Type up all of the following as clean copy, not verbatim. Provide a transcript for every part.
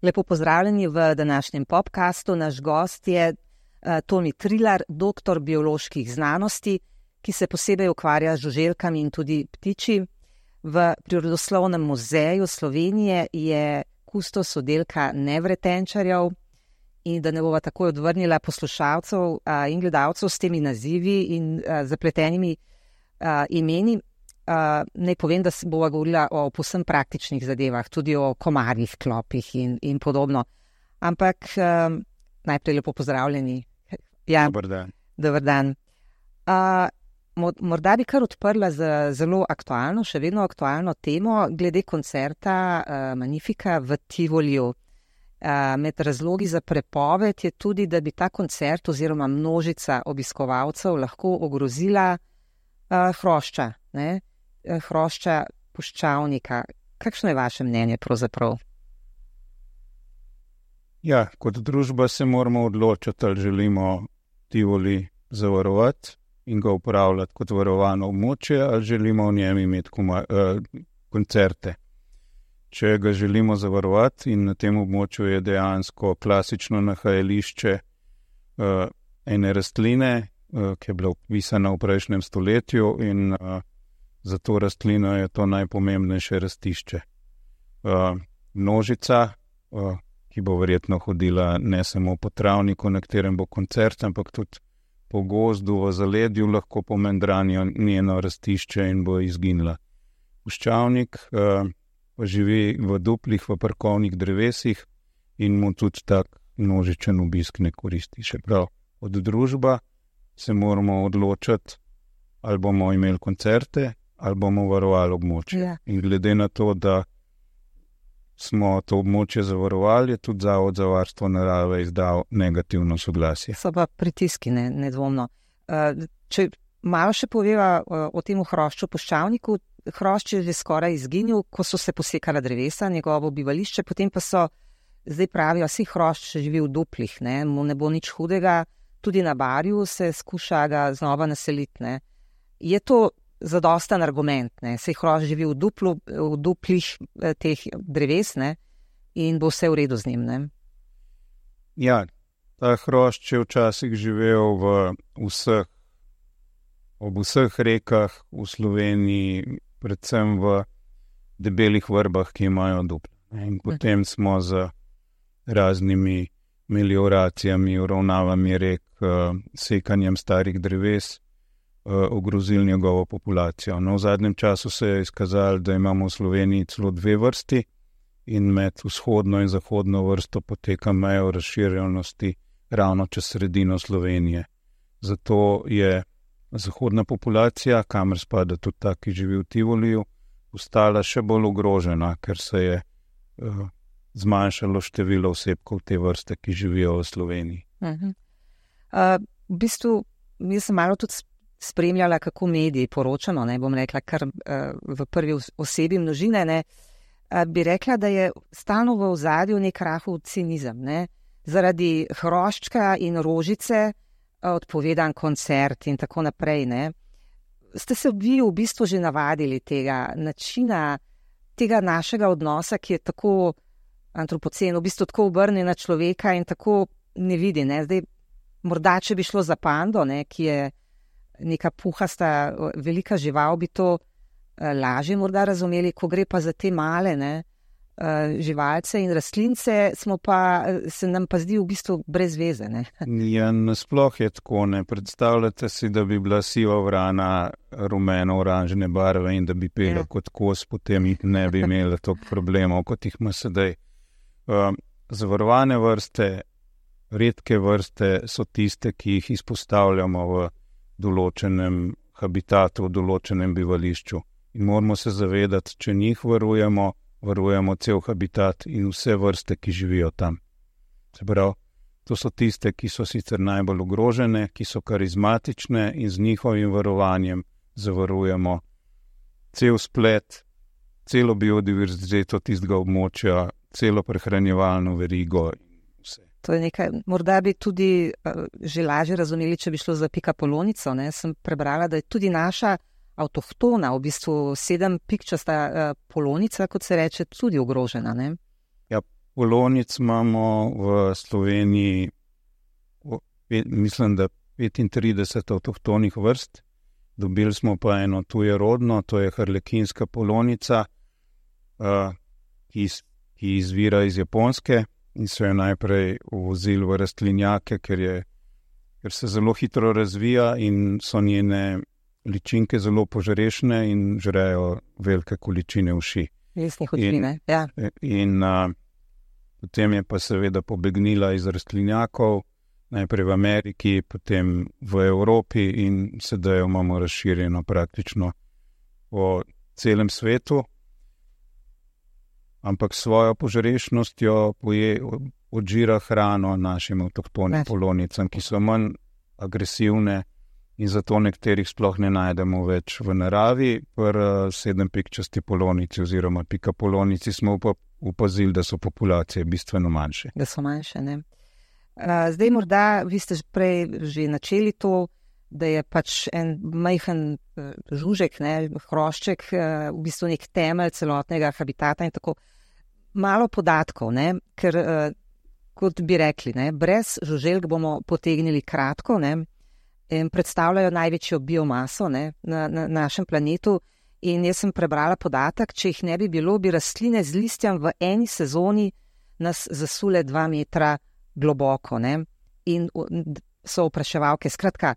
Lepo pozdravljeni v današnjem podcastu. Naš gost je Toni Trilar, doktor bioloških znanosti, ki se posebej ukvarja z žuželkami in tudi ptiči. V Prirodoslovnem muzeju Slovenije je kustos oddelka nevretenčarjev. In da ne bova takoj odvrnila poslušalcev in gledalcev s temi nazivi in zapletenimi imeni, naj povem, da se bova govorila o povsem praktičnih zadevah, tudi o komarjih, klopih in podobno. Ampak najprej lepo pozdravljeni. Ja, Dober dan. Dober dan. Morda bi kar odprla z zelo aktualno, še vedno aktualno temo glede koncerta Magnifica v Tivoliju. Med razlogi za prepoved je tudi, da bi ta koncert oziroma množica obiskovalcev lahko ogrozila hrošča, ne? Hrošča puščavnika. Kakšno je vaše mnenje pravzaprav? Ja, kot družba se moramo odločiti, ali želimo Tivoli zavarovati in ga uporabljati kot varovano območje, ali želimo v njem imeti koncerte. Če ga želimo zavarovati in na tem območju je dejansko klasično nahajališče ene rastline, ki je bila opisana v prejšnjem stoletju in za to rastlino je to najpomembnejše rastišče. Množica, ki bo verjetno hodila ne samo po travniku, na katerem bo koncert, ampak tudi po gozdu v zaledju lahko pomendranijo njeno rastišče in bo izginila. Puščavnik pa živi v duplih, v parkovnih drevesih in mu tudi tak množičen obisk ne koristi. Še prav, od družba se moramo odločiti, ali bomo imeli koncerte, ali bomo varovali območje. Ja. In glede na to, da smo to območje zavarovali, je tudi Zavod za varstvo narave izdal negativno soglasje. So pa pritiski, nedvomno. Če malo še poveva o tem hrošču puščavniku, hrošč je že skoraj izginil, ko so se posekala drevesa, njegovo bivališče, potem pa so, zdaj pravijo, vsi hrošč živi v duplih, mu ne bo nič hudega, tudi na Barju se skuša ga znova naseliti. Je to zadosten argument, saj hrošč živi v duplih teh dreves, in bo vse v redu z njim, Ja, ta hrošč je včasih živel ob vseh rekah v Sloveniji, predvsem v debelih vrbah, ki imajo dupla. In potem smo z raznimi melioracijami, uravnavami rek, sekanjem starih dreves ogrozili njegovo populacijo. No, v zadnjem času se je izkazalo, da imamo v Sloveniji celo dve vrsti in med vzhodno in zahodno vrsto poteka meja razširjenosti ravno čez sredino Slovenije. Zato je zahodna populacija, kamor spada tudi ta, ki živi v Tivoliju, postala še bolj ogrožena, ker se je zmanjšalo število osebkov te vrste, ki živijo v Sloveniji. V bistvu, jaz sem malo tudi spremljala, kako mediji poročano, bom rekla, kar v prvi osebi množine, bi rekla, da je stalno v ozadju nek rahel cinizem, zaradi hroščka in rožice, odpovedan koncert in tako naprej, Ste se vi v bistvu že navadili tega načina, tega našega odnosa, ki je tako antropocen, v bistvu tako obrnjen na človeka in tako ne vidi, Zdaj, morda, če bi šlo za pando, ki je neka puhasta, velika žival, bi to lažje morda razumeli, ko gre pa za te male, živalce in rastlince, se nam pa zdi v bistvu brez veze, Ja, nasploh je tako, Predstavljate si, da bi bila siva vrana rumeno-oranžne barve in da bi pela kot kos, potem ne bi imela toliko problemov, kot jih ima sedaj. Zavarovane vrste, redke vrste so tiste, ki jih izpostavljamo v določenem habitatu, v določenem bivališču. In moramo se zavedati, če njih varujemo cel habitat in vse vrste, ki živijo tam. Se pravi, to so tiste, ki so sicer najbolj ogrožene, ki so karizmatične in z njihovim varovanjem zavarujemo cel splet, celo biodiverziteto tistega območja, celo prehranjevalno verigo in vse. To je nekaj, morda bi tudi že lažje razumeli, če bi šlo za pikapolonico. Sem prebrala, da je tudi naša avtohtona, v bistvu 7 pikčasta polonica, kot se reče, tudi ogrožena, ne? Ja, polonic imamo v Sloveniji, mislim, da 35 avtohtonih vrst. Dobili smo pa eno tujerodno, to je harlekinska polonica, ki izvira iz Japonske in so jo najprej uvozili v rastlinjake, ker se zelo hitro razvija in so njene ličinke zelo požrešne in žrejo velike količine uši. Lesnih učine, ja. In potem je pa seveda pobegnila iz rastlinjakov, najprej v Ameriki, potem v Evropi in sedaj jo imamo razširjeno praktično po celem svetu. Ampak svojo požrešnostjo odžira hrano našim avtohtonim polonicam, ki so manj agresivne in zato nekaterih sploh ne najdemo več v naravi. Pri 7-pikčasti polonici oziroma pikapolonici smo opazili, da so populacije bistveno manjše. Da so manjše, ne. Zdaj morda, vi ste prej že načeli to, da je pač en majhen žužek, ne, hrošček, v bistvu nek temelj celotnega habitata in tako. Malo podatkov, ne, ker kot bi rekli, ne, brez žuželk bomo potegnili kratko, ne, in predstavljajo največjo biomaso, ne, na našem planetu. In jaz sem prebrala podatek, če jih ne bi bilo, bi rastline z listjem v eni sezoni nas zasule 2 metra globoko, ne, in so opraševalke. Skratka,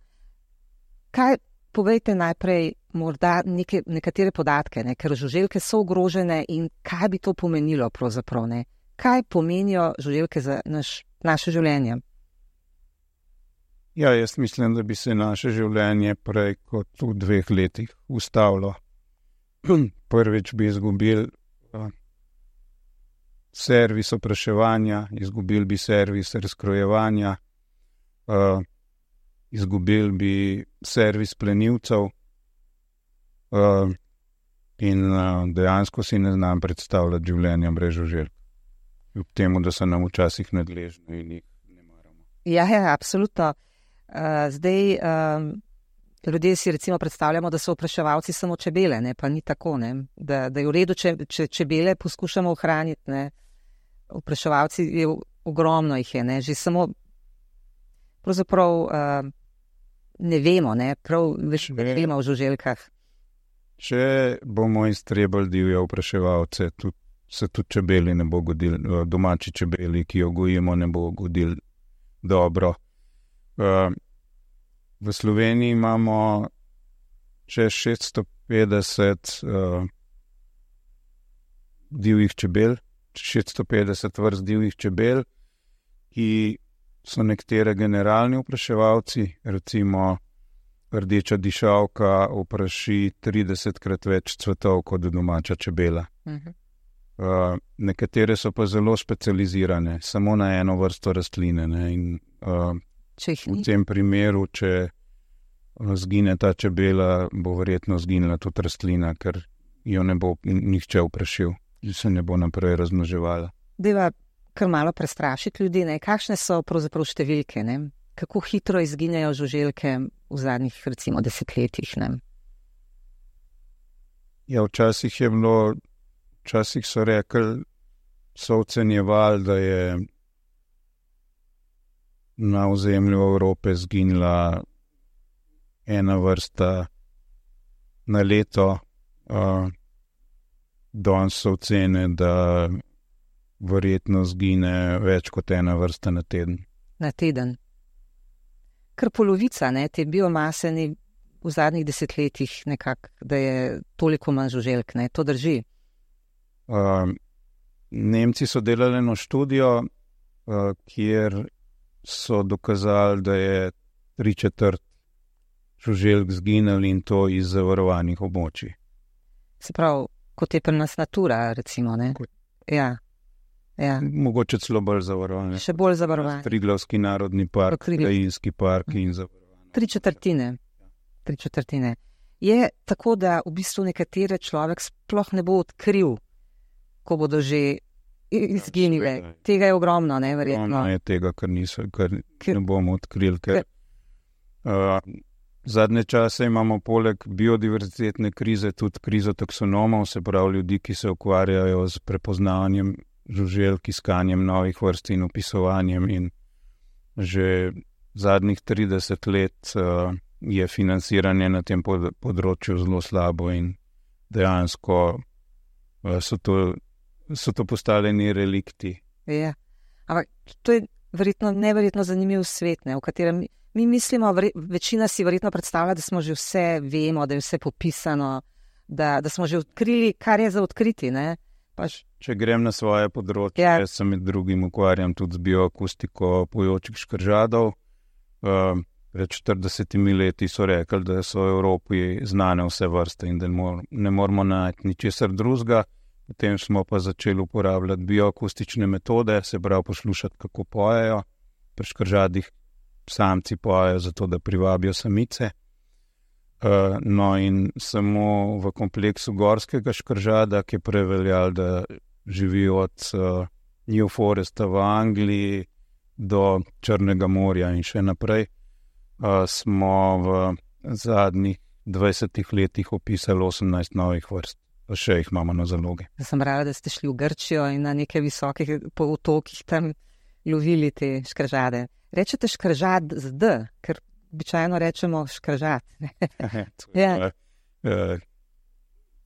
kaj, povejte najprej morda nekatere podatke, ne, ker žuželke so ogrožene in kaj bi to pomenilo pravzaprav, ne? Kaj pomenijo žuželke za naše življenje? Ja, jaz mislim, da bi se naše življenje prej kot v 2 letih ustavilo. Prvič bi izgubili servis opraševanja, izgubili bi servis razkrojevanja, izgubili bi servis plenilcev in dejansko si ne znam predstavljati življenja brez žuželk. Kljub temu, da so nam včasih nadležni in jih ne maramo. Ja, absolutno. Zdaj, ljudje si recimo predstavljamo, da so opraševalci samo čebele, ne, pa ni tako, ne, da je v redu, če čebele poskušamo ohraniti, ne. Opraševalci je ogromno jih je, ne, že samo pravzaprav ne vemo, ne, prav več vemo o žuželkah. Če bomo iztrebali divje opraševalce, se tudi čebeli ne bo godili, domači čebeli, ki jo gojimo, ne bo godili dobro. V Sloveniji imamo čez 650 divjih čebel, 650 vrst divjih čebel, ki so nekatere generalni opraševalci, recimo rdeča dišavka opraši 30-krat več cvetov kot domača čebela. Nekatere so pa zelo specializirane, samo na eno vrsto rastline, ne, in v tem primeru, če zgine ta čebela, bo verjetno zginila tudi rastlina, ker jo ne bo nihče oprašil in se ne bo naprej razmnoževala. Deva kar malo prestrašiti ljudi, ne? Kakšne so pravzaprav številke, ne? Kako hitro izginejo žuželke v zadnjih, recimo, 10 letih, ne? Ja, včasih so rekli, so ocenjevali, da je na ozemlju Evrope zginila ena vrsta na leto. Danes so ocene, da verjetno zgine več kot ena vrsta na teden. Na teden. Kar polovica, ne, te biomase ni v zadnjih 10 letih nekako, da je toliko manj žuželk, ne, to drži. Nemci so delali eno študijo, kjer so dokazali, da je 3/4 žuželk zginili in to iz zavarovanih območij. Se pravi, kot je pri nas Natura, recimo, ne? Ja. Mogoče celo bolj zavarovane. Še bolj zavarovane. Triglavski narodni park, Krajinski park in zavarovane. 3/4. 3/4. Je tako, da v bistvu nekatere človek sploh ne bo odkril, ko bodo že izginile. Tega je ogromno, ne, verjetno. Ogromno je tega, kar ne bomo odkrili, ker Zadnje čase imamo poleg biodiverzitetne krize tudi krizo taksonomov, se pravi ljudi, ki se ukvarjajo z prepoznavanjem žuželk, iskanjem novih vrst in opisovanjem, in že zadnjih 30 let je financiranje na tem področju zelo slabo in dejansko so to postavljeni relikti. Ja, ampak to je neverjetno zanimiv svet, ne, v katerem mi mislimo, večina si verjetno predstavlja, da smo že vse vemo, da je vse popisano, da smo že odkrili, kar je za odkriti, ne. Če grem na svoje področje, jaz se med drugim ukvarjam tudi z bioakustiko pojočih škržadov. Pred 40 leti so rekli, da so v Evropi znane vse vrste in da ne moramo najti ničesar drugega. Potem smo pa začeli uporabljati bioakustične metode, se pravi poslušati, kako pojejo. Pri škržadih samci pojejo zato, da privabijo samice. No in samo v kompleksu gorskega škržada, ki je preveljal, da živi od New Foresta v Angliji do Črnega morja in še naprej, smo v zadnjih 20 letih opisali 18 novih vrst. Pa še jih imamo na zalogi. Sem rada, da ste šli v Grčijo in na nekaj visokih potokih tam lovili te škržade. Rečete škržad z D, ker običajno rečemo škržat. Ja.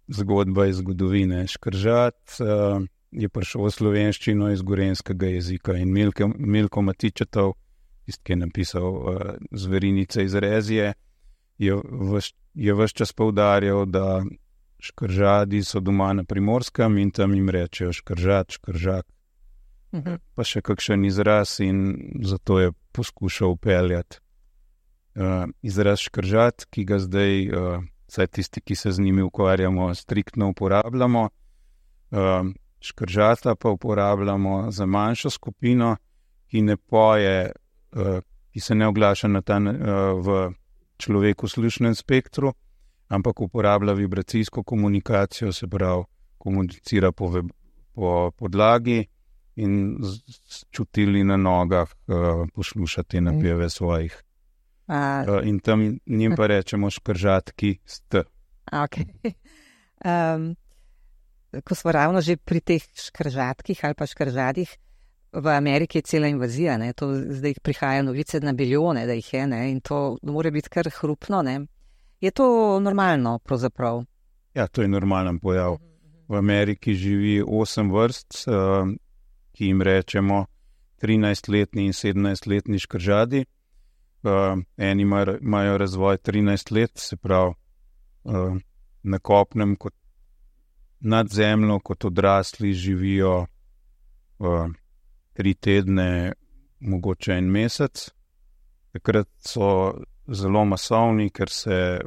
Zgodba iz zgodovine. Škržat je prišel v slovenščino iz gorenjskega jezika in Milko Matičetov, tisti, ki je napisal Zverinice iz Rezije, je ves čas poudarjal, da škržadi so doma na Primorskem in tam jim rečejo škržat, škržak. Pa še kakšen izraz, in zato je poskušal upeljati izraz škržat, ki ga zdaj, vsaj tisti, ki se z njimi ukvarjamo, striktno uporabljamo. Škržata pa uporabljamo za manjšo skupino, ki ne poje, ki se ne oglaša v človeku slušnem spektru, ampak uporablja vibracijsko komunikacijo, se pravi, komunicira po podlagi in s čutili na nogah posluša te napeve svojih. In tam njim pa rečemo škržatki st. Okay. Ko smo ravno že pri teh škržatkih ali pa škržadih, v Ameriki je cela invazija, ne? To zdaj prihajajo novice na bilijone, da jih je, ne? In to mora biti kar hrupno, ne? Je to normalno pravzaprav? Ja, to je normalen pojav. V Ameriki živi 8 vrst, ki jim rečemo 13-letni in 17-letni škržadi. Eni imajo razvoj 13 let, se pravi na kopnem kot nad zemljo, kot odrasli živijo 3 tedne, mogoče 1 mesec. Takrat so zelo masovni, ker se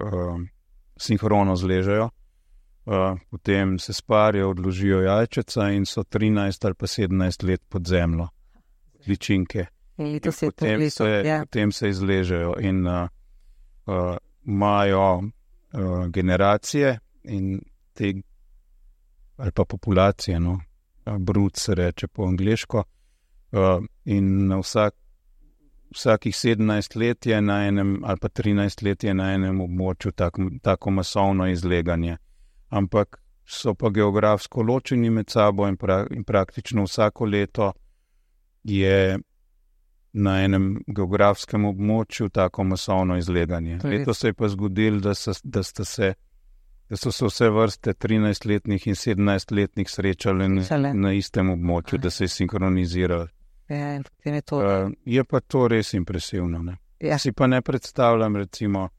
sinhrono zležejo, potem se sparijo, odložijo jajčeca in so 13 ali pa 17 let pod zemljo, ličinke. Potem se izležejo in imajo generacije in te, ali pa populacije, no, brud se reče po angleško, in na vsakih 17 let je na enem, ali pa 13 let je na enem območju tako masovno izleganje. Ampak so pa geografsko ločeni med sabo in praktično vsako leto je na enem geografskem območju tako masovno izleganje. Letos se je pa zgodilo, da so se vse vrste 13-letnih in 17-letnih srečali na istem območju, da se je sinkronizirali. Je pa to res impresivno. Ne? Ja. Si pa ne predstavljam recimo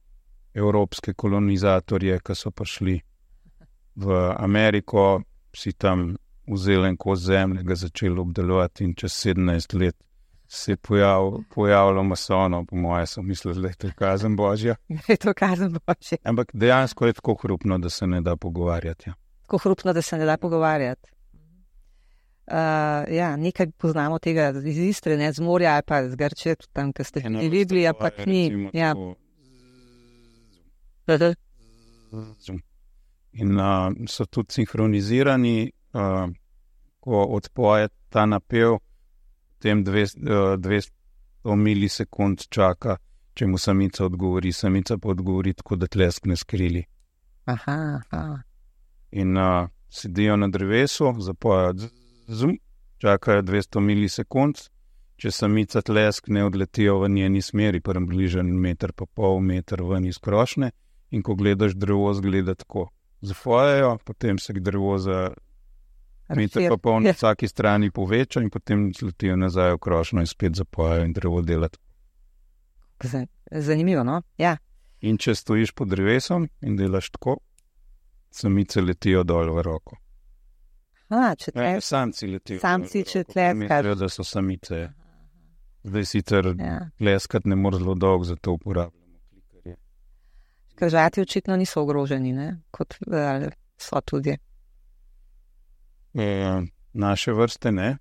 evropske kolonizatorje, ki so prišli v Ameriko, si tam vzeli en kos zemlje, ga začeli obdelovati in čez 17 let se je pojavilo masovno, po moje so mislili, da je to kazen Božja. Je to kazen Božja. Ampak dejansko je tako hrupno, da se ne da pogovarjati. Ja. Tako hrupno, da se ne da pogovarjati. Ja, nekaj poznamo tega iz Istre, ne, z morja ali pa z Grčije, tam, ko ste videli, pa ni. Ja. In so tudi sinhronizirani, ko odpoje ta napev, potem 200 milisekund čaka, če mu samica odgovori. Samica pa odgovori tako, da tleskne s krili. Aha. In sedijo na drevesu, zapojo čakajo 200 milisekund, če samica tleskne, odletijo v njeni smeri, približno 1,5 metra ven iz krošnje, in ko gledaš drevo, zgleda tako. Zapojejo, potem se drevo za 1,5 metra na vsaki strani poveča in potem zletijo nazaj v krošnjo in spet zapojejo in drevo dela tako. Zanimivo, no? Ja. In če stojiš pod drevesom in delaš tako, samice letijo dol v roko. Samci letijo. Samci, če tleskaš. Mislijo, da so samice. Zdaj sicer tleskati ne more zelo dolgo, zato uporabljamo klikerje. Križati očitno niso ogroženi, ne? Kot so tudi. Naše vrste ne.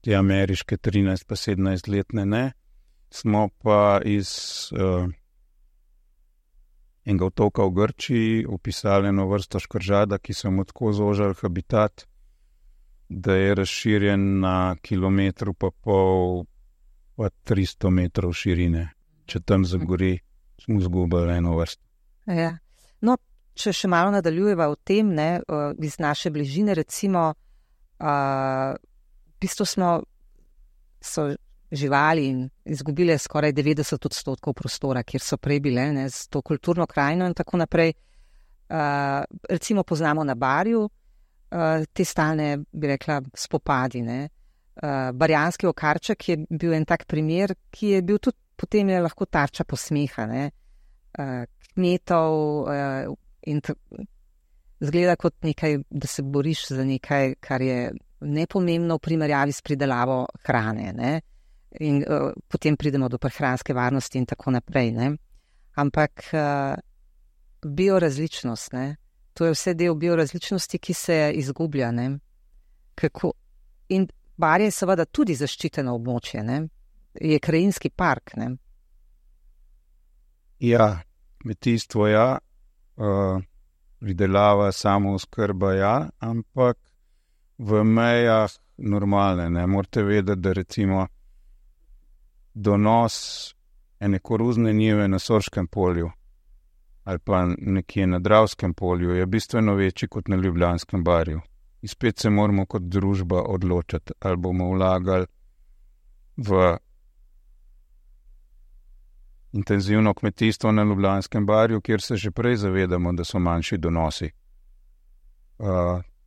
Te ameriške 13 pa 17 letne ne. Smo pa iz enega otoka v Grčiji opisali eno vrsto škržada, ki so mu tako zožali habitat, da je razširjen na 1,5 kilometra pa 300 metrov širine. Če tam zagori, smo izgubili eno vrsto. Ja. No, če še malo nadaljujeva o tem, ne, iz naše bližine, recimo, v bistvu so živali in izgubile skoraj 90% prostora, kjer so prej bile, ne, z to kulturno krajino in tako naprej. Recimo poznamo na Barju te stalne, bi rekla, spopadi. Ne. Barjanski okarček je bil en tak primer, ki je bil tudi potem je lahko tarča posmeha, ne. Kmetov in zgleda kot nekaj, da se boriš za nekaj, kar je nepomembno v primerjavi s pridelavo hrane, ne. In potem pridemo do prehranske varnosti in tako naprej, ne. Ampak biorazličnost, ne, to je vse del biorazličnosti, ki se izgublja, ne. Kako? In Barje je seveda tudi zaščiteno območje, ne. Je krajinski park, ne. Ja, kmetijstvo ja, pridelava, samooskrba ja, ampak v mejah normalne, ne. Morate vedeti, da recimo donos ene koruzne njive na Sorškem polju ali pa nekje na Dravskem polju je bistveno večji kot na Ljubljanskem Barju. In spet se moramo kot družba odločiti, ali bomo vlagali v intenzivno kmetijstvo na Ljubljanskem Barju, kjer se že prej zavedamo, da so manjši donosi.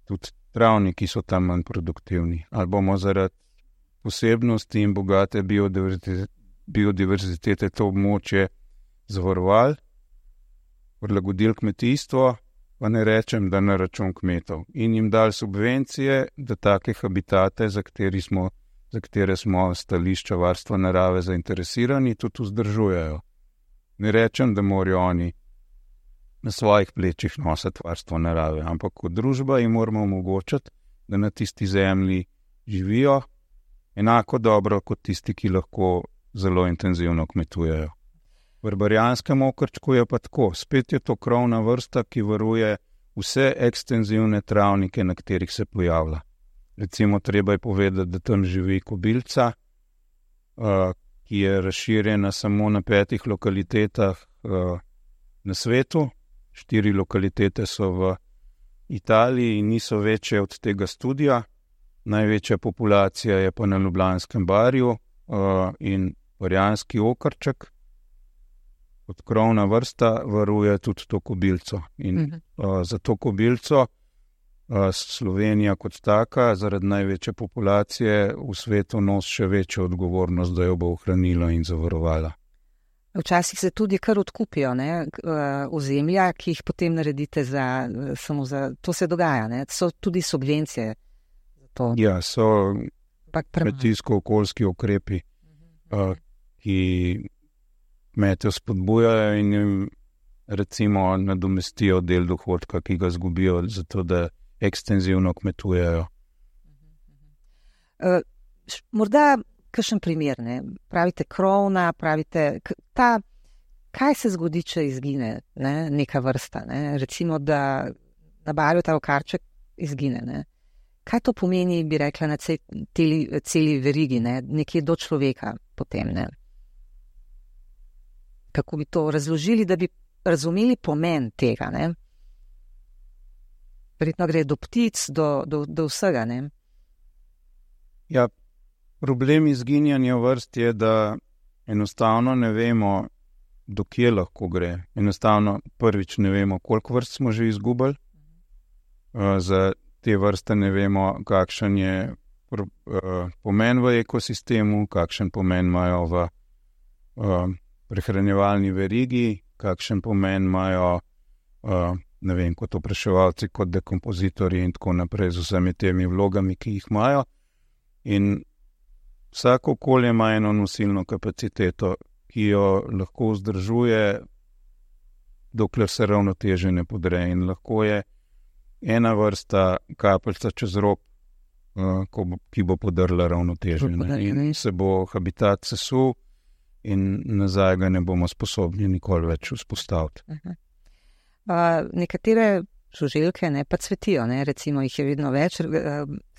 Tudi travniki so tam manj produktivni. Ali bomo zaradi posebnosti in bogate biodiverzitete to območje zavarovali, prilagodili kmetijstvo, pa ne rečem, da na račun kmetov. In jim dali subvencije, da take habitate, za katere smo stališča varstva narave zainteresirani, tudi vzdržujejo. Ne rečem, da morajo oni na svojih plečih nositi varstvo narave, ampak kot družba jim moramo omogočiti, da na tisti zemlji živijo enako dobro kot tisti, ki lahko zelo intenzivno kmetujejo. V barjanskem okrčku je pa tako, spet je to krovna vrsta, ki varuje vse ekstenzivne travnike, na katerih se pojavlja. Recimo treba je povedati, da tam živi kobilca, ki je razširjena samo na 5 lokalitetah na svetu. 4 lokalitete so v Italiji in niso večje od tega studija. Največja populacija je pa na Ljubljanskem Barju in barjanski okrček. Kot krovna vrsta varuje tudi to kobilco. In za to kobilco Slovenija kot taka, zaradi največje populacije v svetu nosi še večjo odgovornost, da jo bo ohranila in zavarovala. Včasih se tudi kar odkupijo, ne, ozemlja, ki jih potem naredite samo za, to se dogaja, ne, so tudi subvencije. To. Ja, so kmetijsko-okoljski ukrepi, ki kmete spodbujajo in jim recimo nadomestijo del dohodka, ki ga zgubijo, zato da ekstenzivno kmetujejo. Morda kakšen primer, ne? Pravite krovna, pravite kaj se zgodi, če izgine, ne? Neka vrsta, ne? Recimo, da na Barju ta okarček izgine, ne? Kaj to pomeni, bi rekla, na celi verigi, ne? Nekje do človeka potem, ne? Kako bi to razložili, da bi razumeli pomen tega, ne? Verjetno gre do ptic, do vsega, ne? Ja, problem izginjanja vrst je, da enostavno ne vemo, do kje lahko gre. Enostavno prvič ne vemo, koliko vrst smo že izgubili. Za te vrste ne vemo, kakšen je pomen v ekosistemu, kakšen pomen imajo v prehranjevalni verigi, kakšen pomen imajo, ne vem, kot opraševalci, kot dekompozitorji in tako naprej z vsemi temi vlogami, ki jih imajo. In vsako okolje ima eno nosilno kapaciteto, ki jo lahko vzdržuje, dokler se ravnoteže ne podre. In lahko je ena vrsta kapljica čez rob, ki bo podrla ravnoteže. In se bo habitat sesul in nazaj ga ne bomo sposobni nikoli več vzpostaviti. Nekatere žuželke pa cvetijo, ne? Recimo jih je vedno več.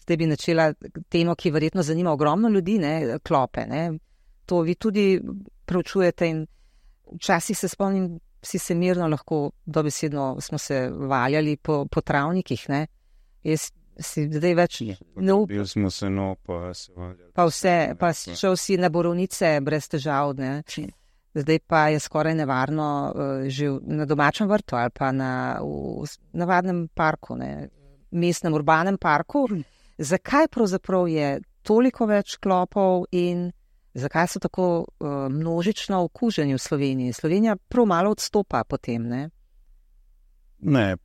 Zdaj bi načela temo, ki verjetno zanima ogromno ljudi, ne? Klope. Ne? To vi tudi preučujete in včasih se spomnim, si se mirno lahko dobesedno smo se valjali po travnikih. Ne? Jaz si zdaj več Bil smo se pa se valjali. Pa šel si na borovnice brez težav. Ne? Zdaj pa je skoraj nevarno že na domačem vrtu ali pa v navadnem parku, ne? Mestnem urbanem parku. Zakaj pravzaprav je toliko več klopov in zakaj so tako množično okuženi v Sloveniji? Slovenija prav malo odstopa potem, ne? Ne,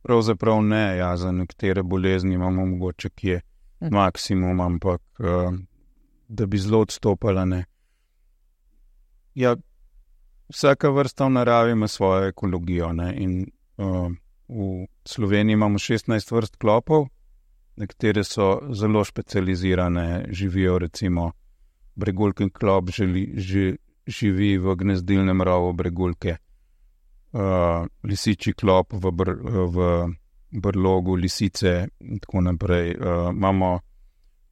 pravzaprav ne. Ja, za nekatere bolezni imamo mogoče kje maksimum, ampak da bi zelo odstopala, ne. Ja, vsaka vrsta v naravi ima svojo ekologijo, ne. In v Sloveniji imamo 16 vrst klopov, nekatere so zelo specializirane, živijo recimo bregulkin klop živi v gnezdilnem rovu bregulke, lisičji klop v brlogu lisice in tako naprej. Imamo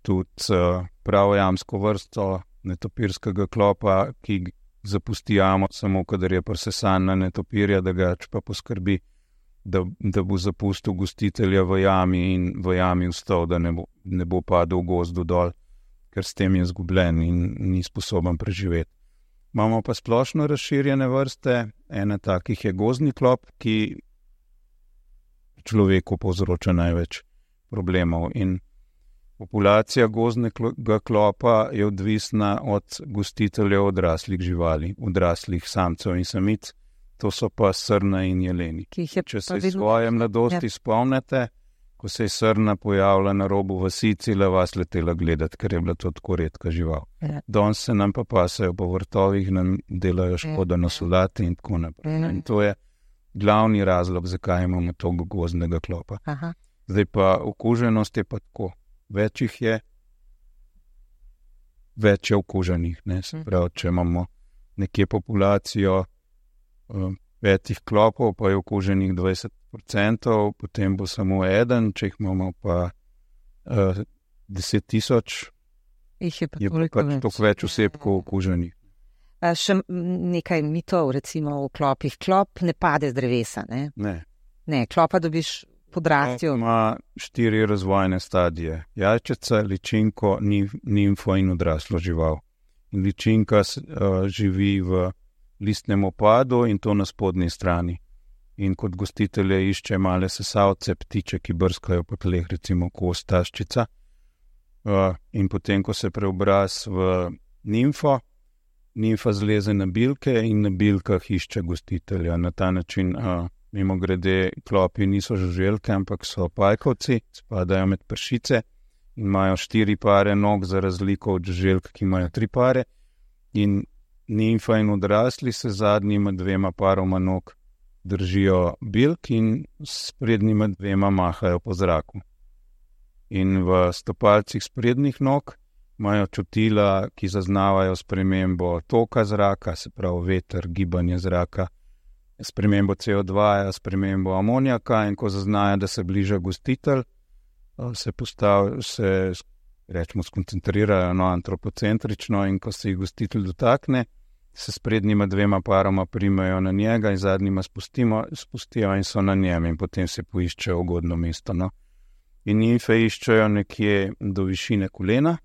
tudi pravojamsko vrsto netopirskega klopa, ki zapusti jamo samo, kadar je prisesan na netopirja, da ga pa poskrbi, da bo zapustil gostitelja v jami in v jami vstal, da ne bo padel v gozdu dol, ker s tem je zgubljen in ni sposoben preživeti. Imamo pa splošno razširjene vrste, ena takih je gozdni klop, ki človeku povzroča največ problemov. In populacija gozdnega klopa je odvisna od gostiteljev odraslih živali, odraslih samcev in samic, to so pa srna in jeleni. Če se iz svoje mladosti spomnite, ko se je srna pojavila na robu vasi, cela vas letela gledati, ker je bila to tako redka žival. Danes se nam pa pasajo po vrtovih, nam delajo škodo na solati in tako naprej. In to je glavni razlog, zakaj imamo toliko gozdnega klopa. Zdaj pa okuženost je pa tako. Več jih je, več je okuženih. Ne? Se pravi, če imamo nekje populacijo 5 klopov, pa je okuženih 20%, potem bo samo eden, če jih imamo pa 10,000, je pač toliko več osebkov okuženih. Še nekaj mitov, recimo v klopih. Klop ne pade z drevesa, ne? Ne, klopa dobiš podrastjo. Ima 4 razvojne stadije. Jajčeca, ličinko, nimfo in odraslo žival. In ličinka živi v listnem opadu in to na spodnji strani. In kot gostitelje išče male sesavce, ptiče, ki brskajo po tleh, recimo kost taščica. In potem, ko se preobraz v nimfo, nimfa zleze na bilke in na bilkah išče gostitelja. Na ta način, mimo grede, klopi niso žuželke, ampak so pajkovci, spadajo med pršice in imajo 4 pare nog za razliko od žuželk, ki imajo 3 pare. In nimfa in odrasli se zadnjima 2 paroma nog držijo bilk in s prednjima 2 mahajo po zraku. In v stopalcih sprednjih nog imajo čutila, ki zaznavajo spremembo toka zraka, se pravi veter, gibanje zraka, spremembo CO2, spremembo amonijaka, in ko zaznajo, da se bliža gostitelj, se rečemo skoncentrirajo antropocentrično in ko se jih gostitelj dotakne, se s prednjima 2 paroma primejo na njega in zadnjima spustijo in so na njem in potem se poiščejo ugodno mesto. No. In nimfe iščejo nekje do višine kolena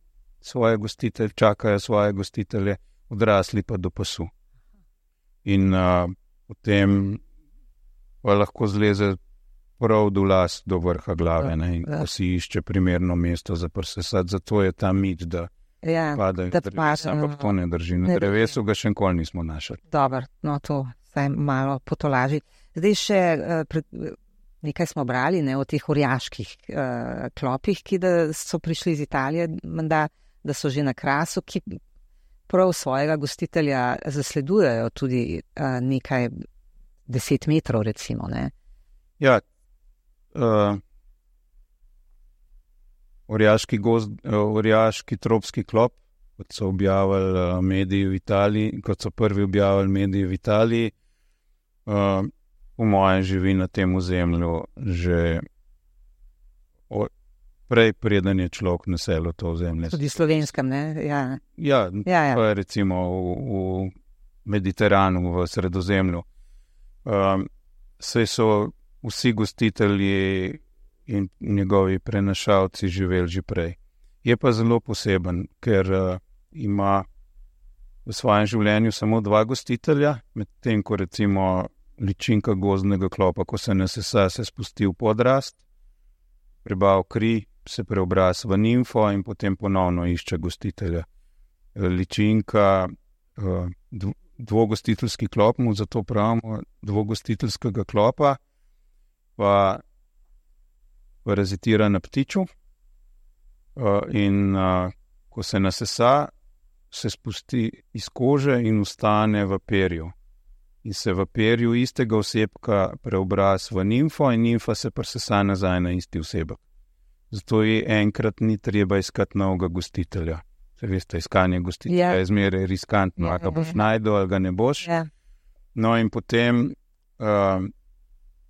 čakajo svoje gostitelje, odrasli pa do pasu. In potem pa lahko zleze prav do las, do vrha glave, ne, in ko si išče primerno mesto za prsesat, zato je ta mit, da padajo drevesa, ampak to ne drži. Na drevesu ga še nikoli nismo našli. Dobro, no to vsaj malo potolaži. Zdaj še nekaj smo brali, ne, o teh orjaških klopih, ki da so prišli iz Italije, menda, da so že na Krasu, ki prav svojega gostitelja zasledujejo tudi nekaj 10 metrov, recimo, ne? Ja, orjaški tropski klop, kot so objavili mediji v Italiji, kot so prvi objavili mediji v Italiji, po mojem živi na tem ozemlju že prej, preden je človek naselil to ozemlje. Tudi slovenskem, ne? Ja. To je recimo v Mediteranu, v Sredozemlju. Saj so vsi gostitelji in njegovi prenašalci živeli že prej. Je pa zelo poseben, ker ima v svojem življenju samo 2 gostitelja, medtem ko recimo ličinka gozdnega klopa, ko se nasesa, se spusti v podrast, prebav kri, se preobraz v nimfo in potem ponovno išče gostitelja. Ličinka, dvogostiteljski klop, mu zato pravimo dvogostiteljskega klopa, pa parazitira na ptiču in ko se nasesa, se spusti iz kože in ostane v perju. In se v perju istega osebka preobraz v nimfo in nimfa se presesa nazaj na isti osebek. Zato je enkrat ni treba iskati novega gostitelja. Se veste, iskanje gostitelja je zmeraj riskantno, ali ga boš najdel, ali ga ne boš. No in potem,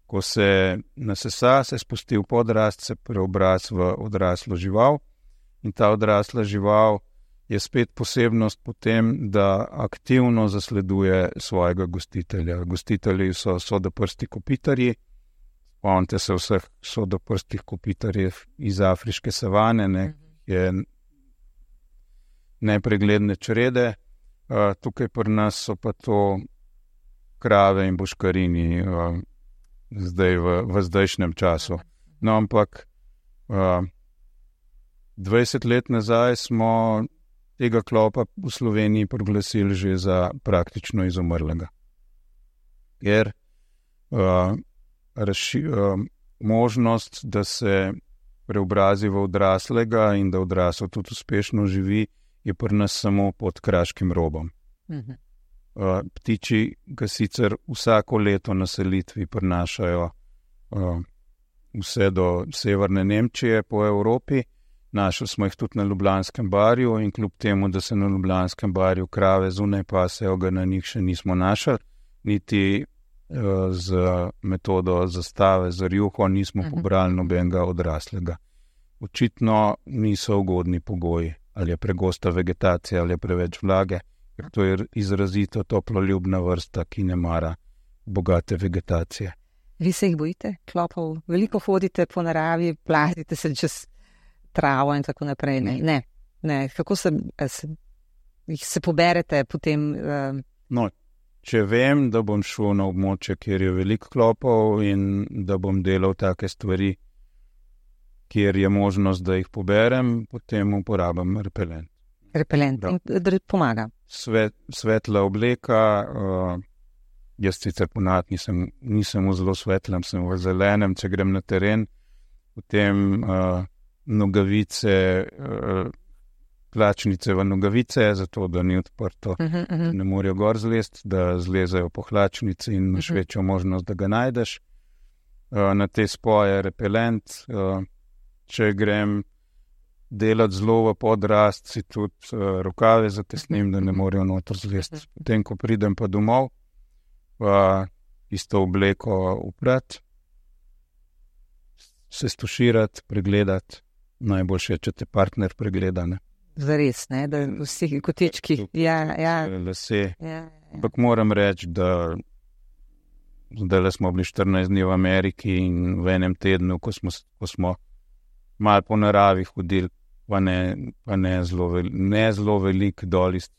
ko se nasesa, se spusti v podrast, se preobraz v odraslo žival in ta odrasla žival je spet posebnost potem, da aktivno zasleduje svojega gostitelja. Gostitelji so sodoprsti kopitarji, spomnite se vseh sodoprstih kopitarjev iz afriške savane, ne, je nepregledne črede. Tukaj pri nas so pa to krave in boškarini zdaj v zdajšnjem času. No, ampak 20 let nazaj smo tega klopa v Sloveniji proglasili že za praktično izumrlega. Ker možnost, da se preobrazi v odraslega in da odrasel tudi uspešno živi, je pri nas samo pod kraškim robom. Ptiči ga sicer vsako leto na selitvi prinašajo vse do severne Nemčije po Evropi. Našli smo jih tudi na Ljubljanskem barju in kljub temu, da se na Ljubljanskem barju krave zunaj pasejo, ga na njih še nismo našli, niti z metodo zastave, z rjuho nismo pobrali nobenega odraslega. Očitno niso ugodni pogoji, ali je pregosta vegetacija, ali je preveč vlage, ker to je izrazito toploljubna vrsta, ki ne mara bogate vegetacije. Vi se jih bojite, klopov? Veliko hodite po naravi, plazite se čez travo in tako naprej. Ne. Kako se poberete potem? No, če vem, da bom šel na območje, kjer je veliko klopov in da bom delal take stvari, kjer je možnost, da jih poberem, potem uporabim repelent. Repelent, in pomaga? Svetla obleka, jaz sicer ponad nisem v zelo svetlem, sem v zelenem, če grem na teren, potem nogavice, hlačnice v nogavice, zato da ni odprto, ne morejo gor zlest, da zlezajo po hlačnici in imaš večjo možnost, da ga najdeš. Na te spoje repelent, če grem delati zelo v podrast, si tudi rokave zatesnim, da ne morejo noter zlest. Potem, ko pridem pa domov, pa isto obleko uprat, se stuširati, pregledati. Najboljše je, če te partner pregleda. Zares, ne, da vsi kotički. Lase. Ampak moram reči, da zdaj smo bili 14 dni v Ameriki in v enem tednu, ko smo malo po naravi hodili, pa ne zelo velik dol iz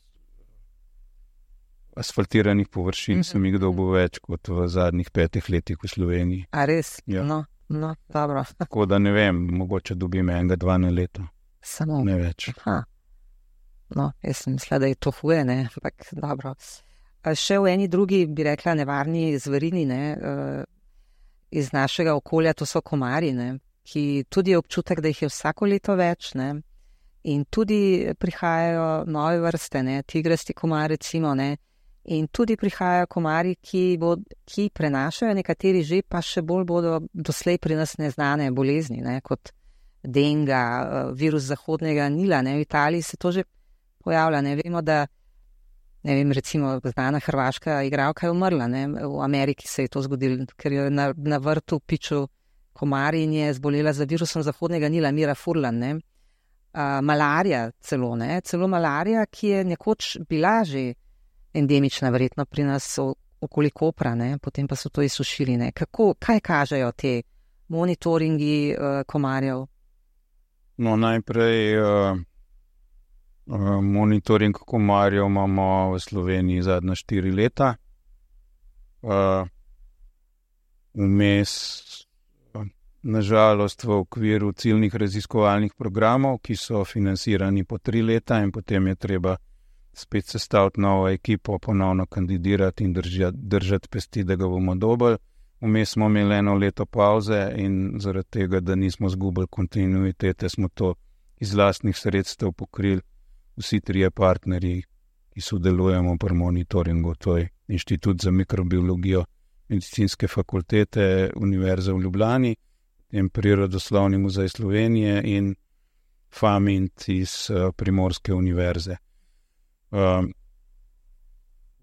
asfaltiranih površin, sem jih dobil več kot v zadnjih 5 letih v Sloveniji. A res? Ja. No, dobro. Tako da ne vem, mogoče dobim 1-2 na leto. Samo. Ne več. No, jaz sem mislila, da je to huje, ne, ampak dobro. Še v eni drugi, bi rekla, nevarni zverini, ne, iz našega okolja, to so komarji, ne, ki tudi je občutek, da jih je vsako leto več, ne, in tudi prihajajo nove vrste, ne, tigrasti komar, recimo, ne, in tudi prihajajo komarji, ki prenašajo nekateri že, pa še bolj bodo doslej pri nas neznane bolezni, ne, kot denga, virus zahodnega Nila, ne, v Italiji se to že pojavlja, ne, vemo, da ne vem, recimo, znana hrvaška igralka je umrla, ne, v Ameriki se je to zgodilo, ker je na vrtu pičil komar in je zbolela za virusom zahodnega Nila, Mira Furlan, ne. Malarija celo, ne, celo malarija, ki je nekoč bila že endemična, verjetno pri nas okoli Kopra, ne, potem pa so to izsušili, ne. Kaj kažejo te monitoringi komarjev? No, najprej monitoring komarjev imamo v Sloveniji zadnja 4 leta. Vmes, nažalost, v okviru ciljnih raziskovalnih programov, ki so financirani po 3 leta in potem je treba spet sestaviti novo ekipo, ponovno kandidirati in držati pesti, da ga bomo dobili. Vmes smo imeli 1 leto pauze in zaradi tega, da nismo zgubili kontinuitete, smo to iz lastnih sredstev pokrili vsi 3 partnerji, ki sodelujemo pri monitoringu, to je Inštitut za mikrobiologijo Medicinske fakultete Univerze v Ljubljani, in Prirodoslovni muzej Slovenije in FAMINT iz Primorske univerze.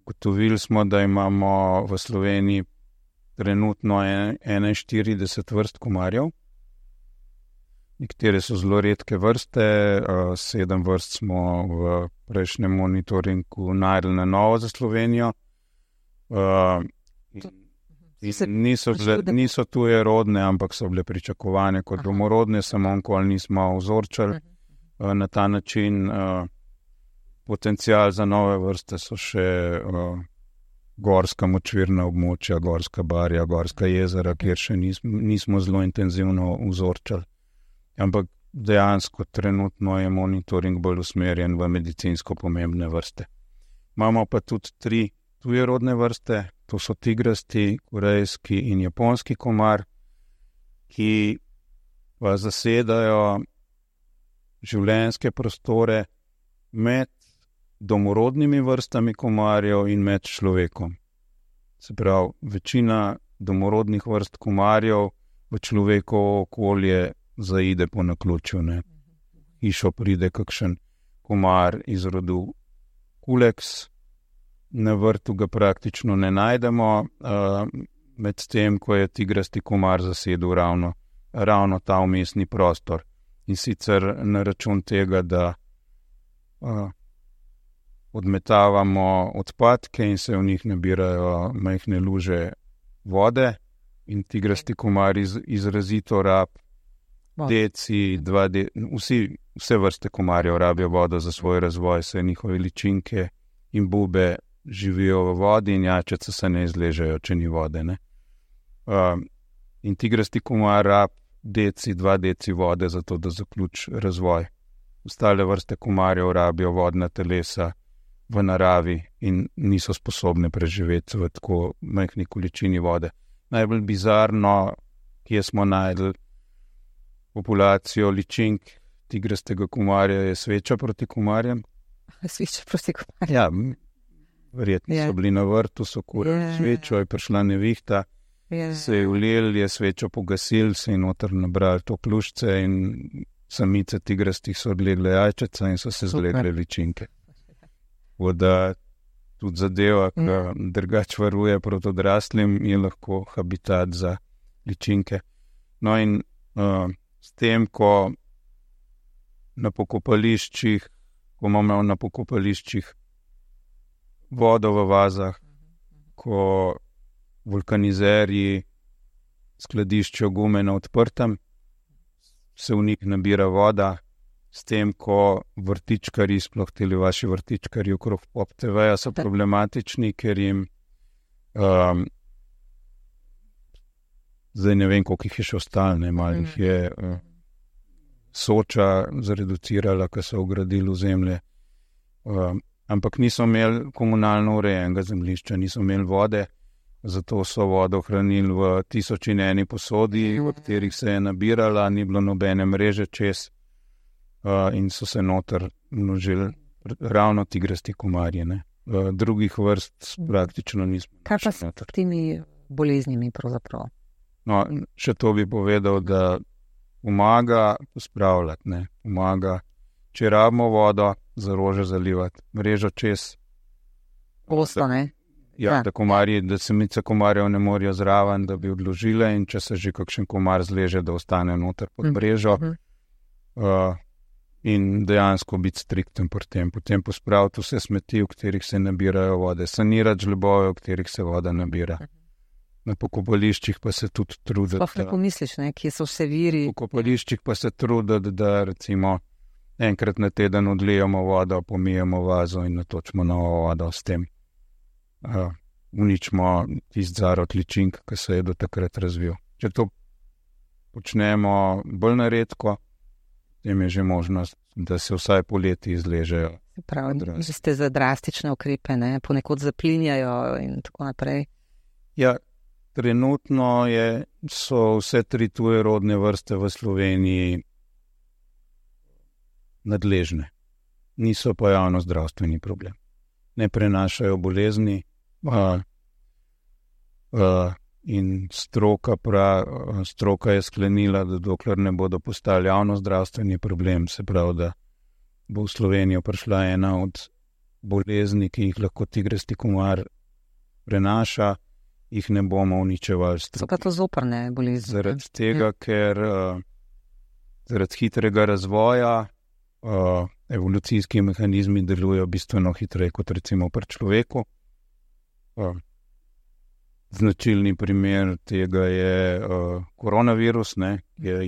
Ugotovili smo, da imamo v Sloveniji trenutno 41 vrst komarjev. Nekatere so zelo redke vrste, 7 vrst smo v prejšnjem monitoringu našli na novo za Slovenijo. Niso tuje rodne, ampak so bile pričakovane kot domorodne, samo nikoli nismo vzorčali na ta način. Potencial za nove vrste so še gorska močvirna območja, gorska barja, gorska jezera, kjer še nismo zelo intenzivno vzorčali. Ampak dejansko trenutno je monitoring bolj usmerjen v medicinsko pomembne vrste. Imamo pa tudi 3 tujerodne vrste, to so tigrasti, korejski in japonski komar, ki pa zasedajo življenjske prostore med domorodnimi vrstami komarjev in med človekom. Se pravi, večina domorodnih vrst komarjev v človekovo okolje zaide po naključju, ne. Hišo pride kakšen komar iz rodu Culex, na vrtu ga praktično ne najdemo, medtem ko je tigrasti komar zasedel ravno ta vmesni prostor. In sicer na račun tega, da odmetavamo odpadke in se v njih nabirajo majhne luže vode in tigrasti komar izrazito rab deci, vse vrste komarjev rabijo vodo za svoj razvoj, saj njihove ličinke in bube živijo v vodi in jačice se ne izležejo, če ni vode, ne. In tigrasti komar rab 2 deci vode za to, da zaključi razvoj. Ostale vrste komarjev rabijo vodna telesa v naravi in niso sposobne preživeti v tako majhni količini vode. Najbolj bizarno, kje smo našli populacijo ličink tigrastega komarja, je sveča proti komarjem. Sveča proti komarjem? Ja, verjetno so bili na vrtu, so kurili svečo, je prišla nevihta, se je ulijel, je svečo pogasil, se je noter nabrali to klušce in samice tigrastih so odlegle jajčeca in so se zlegle ličinke. Voda tudi zadeva, ki drugač varuje proti odraslim, je lahko habitat za ličinke. No in S tem, ko imamo na pokopališčih vodo v vazah, ko vulkanizerji skladiščijo gume na odprtem, se v njih nabira voda, s tem, ko vrtičkarji, sploh teli vaši vrtičkarji okrog Pop TV-ja so problematični, ker jim zdaj ne vem, koliko jih je še ostalo, ne, malo jih je Soča zreducirala, ko so ogradili v zemlje, ampak niso imeli komunalno urejenega zemljišča, niso imeli vode, zato so vodo hranili v 1001 posodi, v katerih se je nabirala, ni bilo nobene mreže čez, in so se noter množili ravno tigrasti komarji, ne. Drugih vrst praktično nismo. Kaj pa s temi boleznimi pravzaprav? No, še to bi povedal, da pomaga pospravljati, ne. Pomaga, če rabimo vodo, za rože zalivati, mrežo čez. Posto, ne? Ja, da samice komarjev ne morajo zraven, da bi odložile, in če se že kakšen komar zleže, da ostane noter pod mrežo. In dejansko biti strikten pri tem. Potem pospraviti vse smeti, v katerih se nabirajo vode, sanirati žlebove, v katerih se voda nabira. Na pokopališčih pa se tudi truditi. Sploh ne pomisliš, ne, kje so vse viri. Na pokopališčih pa se truditi, da recimo enkrat na teden odlijemo vodo, pomijemo vazo in natočimo novo vodo s tem. Uničimo tisti zarod ličink, ki se je do takrat razvil. Če to počnemo bolj naredko, potem je že možnost, da se vsaj poleti izležejo. Prav, ste za drastične ukrepe, ne? Ponekod zaplinjajo in tako naprej. Ja, trenutno so vse 3 tuje rodne vrste v Sloveniji nadležne. Niso pa javno zdravstveni problem. Ne prenašajo bolezni, in stroka je sklenila, da dokler ne bodo postali javno zdravstveni problem, se pravi, da bo v Slovenijo prišla ena od bolezni, ki jih lahko tigrasti komar prenaša, jih ne bomo uničevali s So pa to zoprne bolezni. Zaradi tega, ker zaradi hitrega razvoja evolucijski mehanizmi delujejo bistveno hitreje kot recimo pri človeku. Značilni primer tega je koronavirus, ne, ki je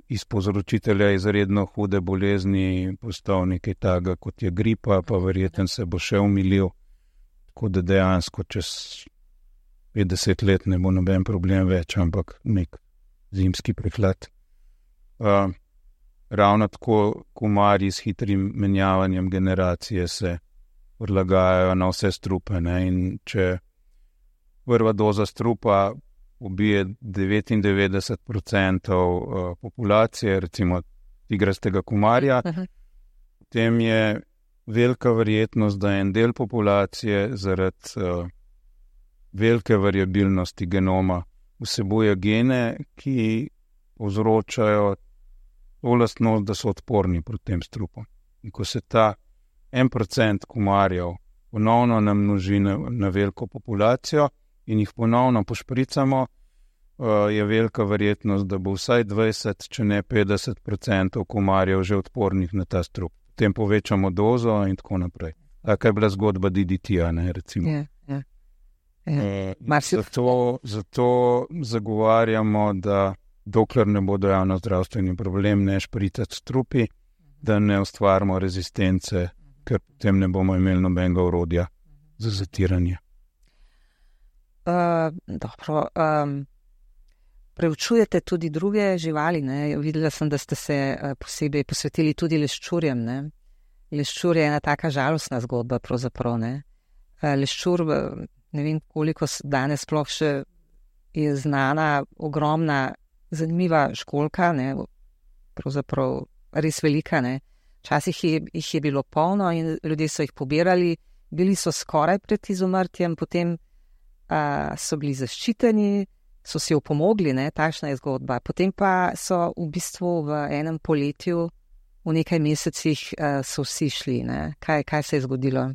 iz povzročitelja izredno hude bolezni postal nekaj takega, kot je gripa, pa verjetno se bo še umilil, tako da dejansko čez 50 let ne bo noben problem več, ampak nek zimski prehlad. Ravno tako komarji s hitrim menjavanjem generacije se odlagajajo na vse strupe, ne? In če prva doza strupa ubije 99% populacije, recimo tigrastega komarja, potem je velika verjetnost, da en del populacije zaradi velike variabilnosti genoma vsebuje gene, ki povzročajo to lastnost, da so odporni proti tem strupom. In ko se ta 1% komarjev ponovno namnoži na veliko populacijo in jih ponovno pošpricamo, je velika verjetnost, da bo vsaj 20, če ne 50% komarjev že odpornih na ta strup. Potem povečamo dozo in tako naprej. Taka je bila zgodba DDT-ja, ne, recimo. Zato zagovarjamo, da dokler ne bodo javno zdravstveni problem, ne špricati strupi, da ne ustvarimo rezistence, ker potem ne bomo imeli nobenega orodja za zatiranje. Dobro. Preučujete tudi druge živali, ne? Videla sem, da ste se posebej posvetili tudi leščurjem, ne? Leščur je ena taka žalostna zgodba pravzaprav, ne? Leščur, ne vem koliko danes sploh še je znana, ogromna, zanimiva školjka, ne? Pravzaprav res velika, ne? Včasih jih je bilo polno in ljudje so jih pobirali, bili so skoraj pred izumrtjem, potem so bili zaščiteni, so si opomogli, ne, takšna je zgodba. Potem pa so v bistvu v enem poletju, v nekaj mesecih so vsi šli, ne. Kaj se je zgodilo?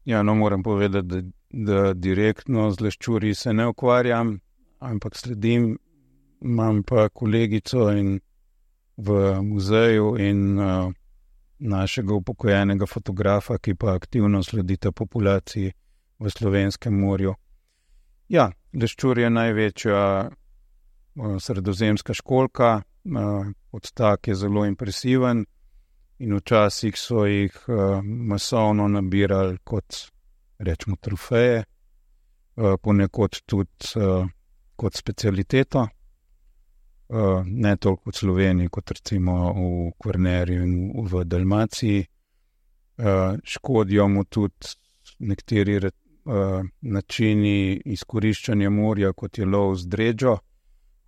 Ja, no, moram povedati, da direktno z leščurji se ne ukvarjam, ampak sledim, imam pa kolegico v muzeju in našega upokojenega fotografa, ki pa aktivno sledita populaciji v Slovenskem morju. Ja, leščur je največja sredozemska školjka, odstak je zelo impresiven in včasih so jih masovno nabirali kot, rečemo, trofeje, ponekod tudi kot specialiteto, ne toliko v Sloveniji, kot recimo v Kvarnerju in v Dalmaciji. Škodijo mu tudi nekateri načini izkoriščanja morja, kot je lov z dređo.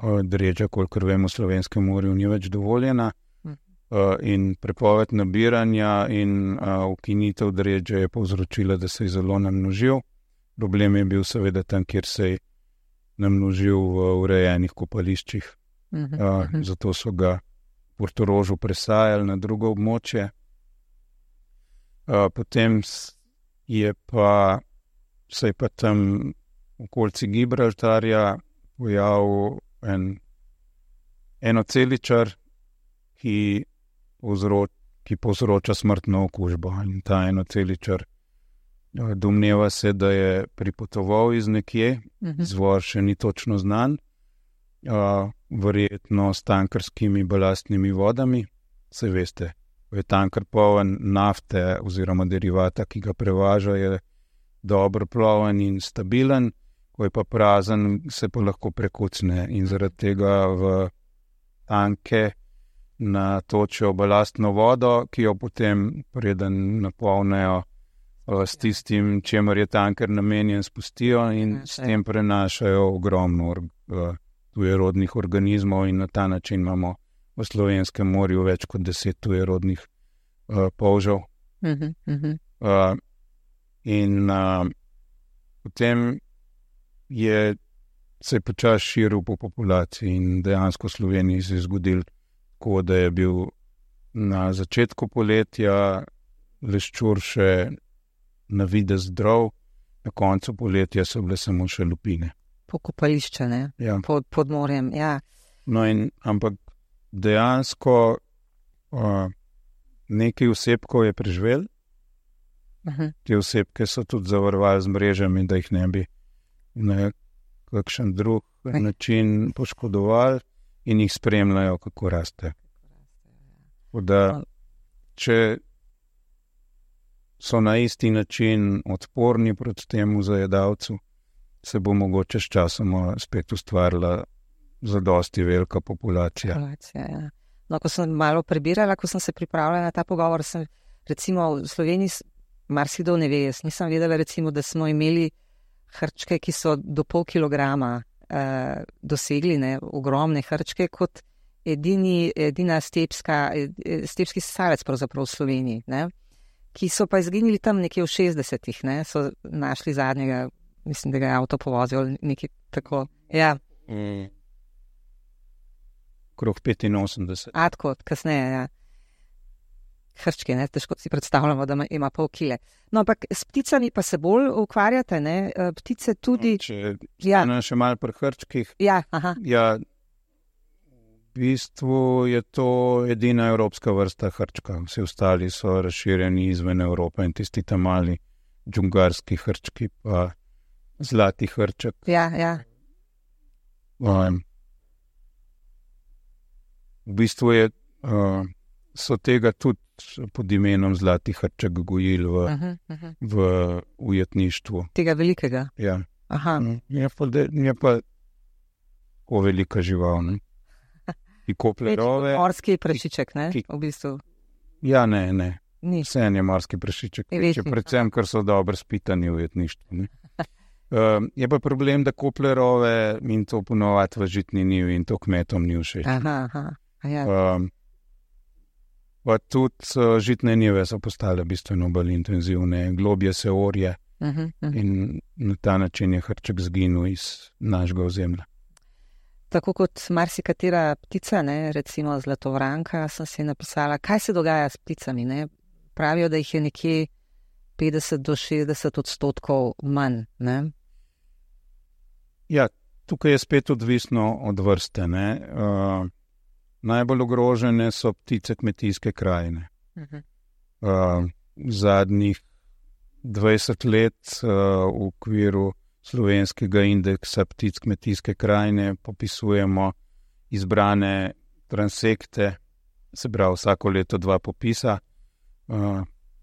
Dređa, kolikor vemo, v Slovenskem morju ni več dovoljena. In prepoved nabiranja in ukinitev dređe je povzročila, da se je zelo namnožil. Problem je bil seveda tam, kjer se je namnožil v urejenih kopališčih. Zato so ga v Portorožu presajali na drugo območje. Potem se je pa tam v okolici Gibraltarja pojavil enoceličar, ki povzroča smrtno okužbo. In ta enoceličar domneva se, da je pripotoval iz nekje, izvor še ni točno znan, verjetno s tankerskimi balastnimi vodami. Saj veste, ko je tanker poln nafte oziroma derivata, ki ga prevaža, je dobro ploven in stabilen, ko je pa prazen, se pa lahko prekucne in zaradi tega v tanke natočijo balastno vodo, ki jo potem, preden napolnejo s tistim, čemer je tanker namenjen, spustijo in s tem prenašajo ogromno tujerodnih organizmov in na ta način imamo v Slovenskem morju več kot 10 tujerodnih polžev. Potem se je počasi širil po populaciji in dejansko v Sloveniji se je zgodil tako, da je bil na začetku poletja leščur še na videz zdrav, na koncu poletja so bile samo še lupine. Pokopališče, ne? Ja. Pod morjem, ja. No ampak dejansko nekaj osebkov je preživel. Te osebke so tudi zavarovali z mrežami, da jih ne bi na kakšen drug način poškodovali in jih spremljajo, kako raste. Da, če so na isti način odporni proti temu zajedavcu, se bo mogoče s časoma spet ustvarila zadosti velika populacija. Ja. No, ko sem malo prebirala, ko sem se pripravljala na ta pogovor, sem recimo v Sloveniji marsikdo ne ve, jaz nisem vedela recimo, da smo imeli hrčke, ki so do pol kilograma dosegli, ne, ogromne hrčke, kot edina stepski sesalec pravzaprav v Sloveniji, ne, ki so pa izginili tam nekje v 60-ih, ne, so našli zadnjega, mislim, da ga je avto povozil, nekaj tako, ja. Krog 85. Tako, kasneje, ja. Hrčke, ne, težko si predstavljamo, da ima pol kile. No, ampak s pticami pa se bolj ukvarjate, ne, ptice tudi... Če ja. Še malo pri hrčkih. Ja, aha. Ja, v bistvu je to edina evropska vrsta hrčka. Vsi ostali so razširjeni izven Evrope in tisti tam mali džungarski hrčki, pa zlati hrček. Ja. V bistvu so tega tudi pod imenom zlati hrček gojili v ujetništvu. Tega velikega? Ja. Aha. Je pa tako velika žival, ne? Ki koplje rove. Morski prašiček, ne? V bistvu. Ja, ne. Ni. Vse je morski prašiček. Predvsem, ker so dobro spitani v ujetništvu, ne? Je pa problem, da koplje rove in to ponovati v žitni njivi in to kmetom ni všeč. Aha. Ja. Pa tudi žitne njive so postale bistveno bolj intenzivne, globje se orje in na ta način je hrček zginil iz našega ozemlja. Tako kot marsikatera ptica, ne, recimo zlatovranka, sem si napisala, kaj se dogaja s pticami, ne. Pravijo, da jih je nekje 50 do 60% manj, ne. Ja, tukaj je spet odvisno od vrste. Najbolj ogrožene so ptice kmetijske krajine. Zadnjih 20 let v okviru slovenskega indeksa ptic kmetijske krajine popisujemo izbrane transekte, se pravi vsako leto 2 popisa,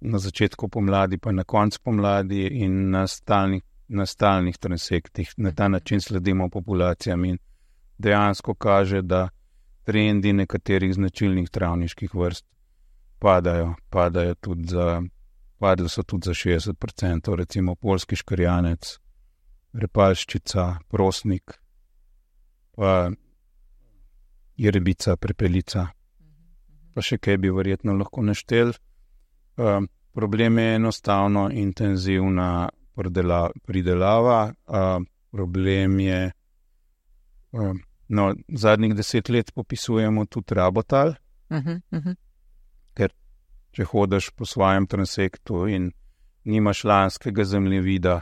na začetku pomladi pa na koncu pomladi in na stalnih transektih. Na ta način sledimo populacijam in dejansko kaže, da trendi nekaterih značilnih travniških vrst padli so tudi za 60%, recimo poljski škrjanec, repalščica, prosnik, pa jerebica, prepelica, pa še kaj bi verjetno lahko naštel. Problem je enostavno intenzivna pridelava, problem je, zadnjih 10 let popisujemo tudi rabotal, ker če hodiš po svojem transektu in nimaš lanskega zemljevida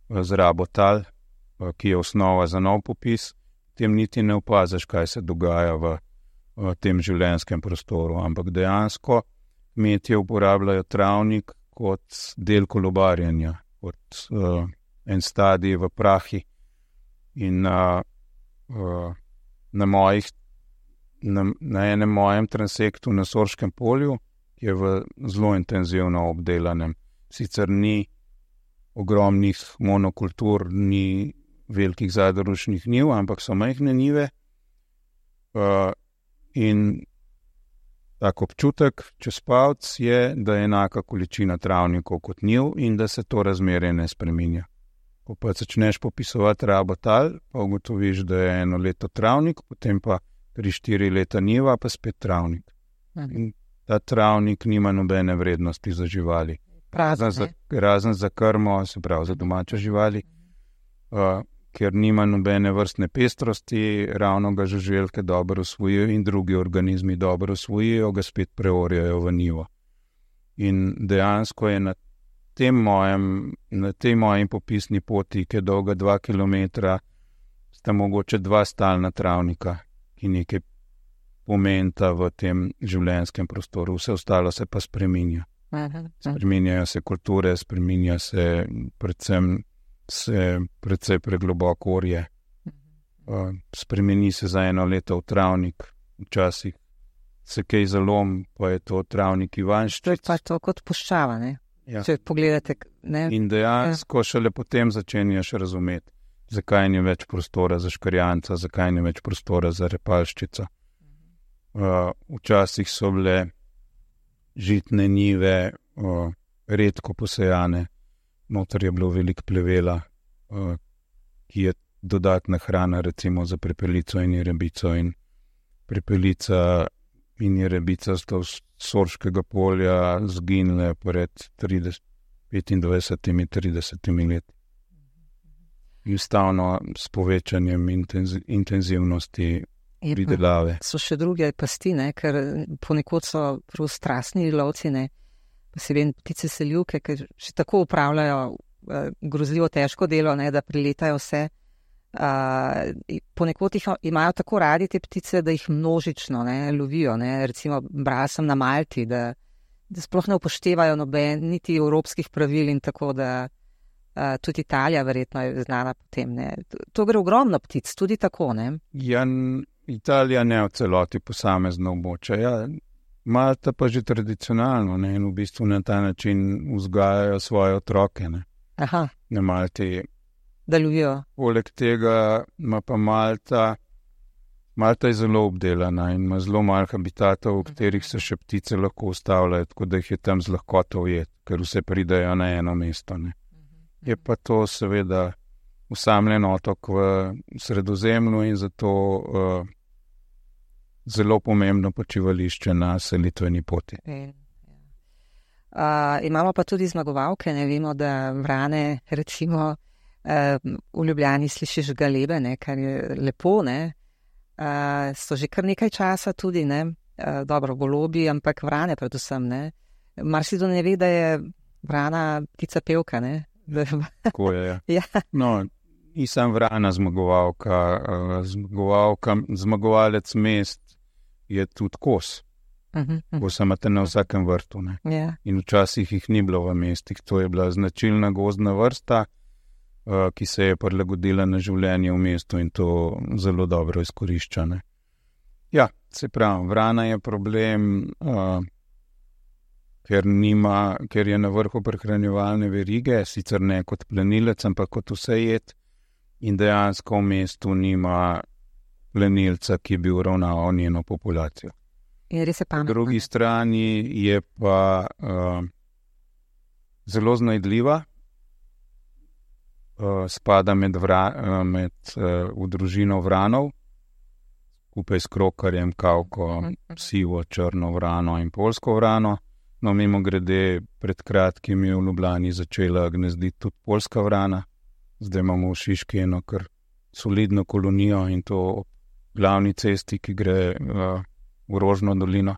z rabotal, ki je osnova za nov popis, tem niti ne opaziš, kaj se dogaja v tem življenjskem prostoru, ampak dejansko kmetje uporabljajo travnik kot del kolobarjenja, kot en stadij v prahi. In na enem mojem transektu na Sorškem polju, ki je v zelo intenzivno obdelanem, sicer ni ogromnih monokultur, ni velikih zadružnih njiv, ampak so majhne njive, in tak občutek čez palec je, da je enaka količina travnikov kot njiv in da se to razmerje ne spreminja. Ko pa začneš popisovati rabotal, pa ugotoviš, da je 1 leto travnik, potem pa 3-4 leta njiva, pa spet travnik. In ta travnik nima nobene vrednosti za živali. Razen za krmo, se pravi za domače živali, ker nima nobene vrstne pestrosti, ravno ga žuželke dobro usvojijo in drugi organizmi dobro usvojijo, ga spet preorjajo v njivo. In dejansko je na tej moji popisni poti, ki je dolga 2 kilometra, sta mogoče 2 stalna travnika, ki nekaj pomenta v tem življenjskem prostoru. Vse ostalo se pa spreminja. Spreminjajo se kulture, spreminja se predvsej pregloboko orje. Spremeni se za 1 leto v travnik, včasih se kaj zalom, pa je to travnik ivanščic. To je pa to kot puščava, ne? Ja. Če pogledate, ne? In dejansko šele potem začenjaš razumeti, zakaj ni več prostora za škrjanca, zakaj ni več prostora za repalščico. Včasih so bile žitne njive redko posejane, noter je bilo veliko plevela, ki je dodatna hrana recimo za prepelico in jerebico, in prepelica in jerebica sta z Sorškega polja zginile pred 25-30 leti. Enostavno s povečanjem intenzivnosti pridelave. So še druge pasti, ne? Ker ponekod so prav strastni lovci, ne? Posebej ptice selivke, ker še tako upravljajo grozljivo težko delo, ne? Da priletajo vse. Ponekod jih imajo tako radi te ptice, da jih množično, ne, lovijo, ne? Recimo brala sem na Malti, da sploh ne upoštevajo niti evropskih pravil, in tako da tudi Italija verjetno je znana po tem, ne. To gre ogromno ptic, tudi tako, ne. Ja, Italija ne v celoti posamezno območje, ja. Malta pa že tradicionalno, ne, in v bistvu na ta način vzgajajo svoje otroke, ne. Aha. Na Malti. Da lovijo. Poleg tega ima pa Malta je zelo obdelana in ima zelo malo habitatov, v katerih se še ptice lahko ustavljajo, tako da jih je tam z lahkoto ujeti, ker vse pridejo na eno mesto, ne. Je pa to seveda osamljen otok v Sredozemlju in zato zelo pomembno počivališče na selitveni poti. Imamo pa tudi zmagovalke, ne, vemo, da vrane, recimo, v Ljubljani slišiš galebe, ne, kar je lepo, ne. So že kar nekaj časa tudi, ne, dobro, golobi, ampak vrane predvsem, ne. Marsikdo ne ve, da je vrana ptica pevka, ne. Tako je, ja. Ja. No, Nisem vrana zmagovalka, zmagovalec mest je tudi kos. Kos imate na vsakem vrtu. Yeah. In včasih jih ni bilo v mestih. To je bila značilna gozdna vrsta, ki se je prilagodila na življenje v mestu in to zelo dobro izkorišča. Ne? Ja, se pravi, vrana je problem, ker je na vrhu prehranjevalne verige, sicer ne kot plenilec, ampak kot vse jed, in dejansko v mestu nima plenilca, ki bi uravnaval njeno populacijo. Po drugi strani je pa zelo znajdljiva, spada v družino vranov, skupaj s krokarjem, kavko, sivo, črno vrano in poljsko vrano. No, mimo grede, pred kratkim je v Ljubljani začela gnezditi tudi poljska vrana. Zdaj imamo v Šiški eno kar solidno kolonijo in to glavni cesti, ki gre v Rožno dolino.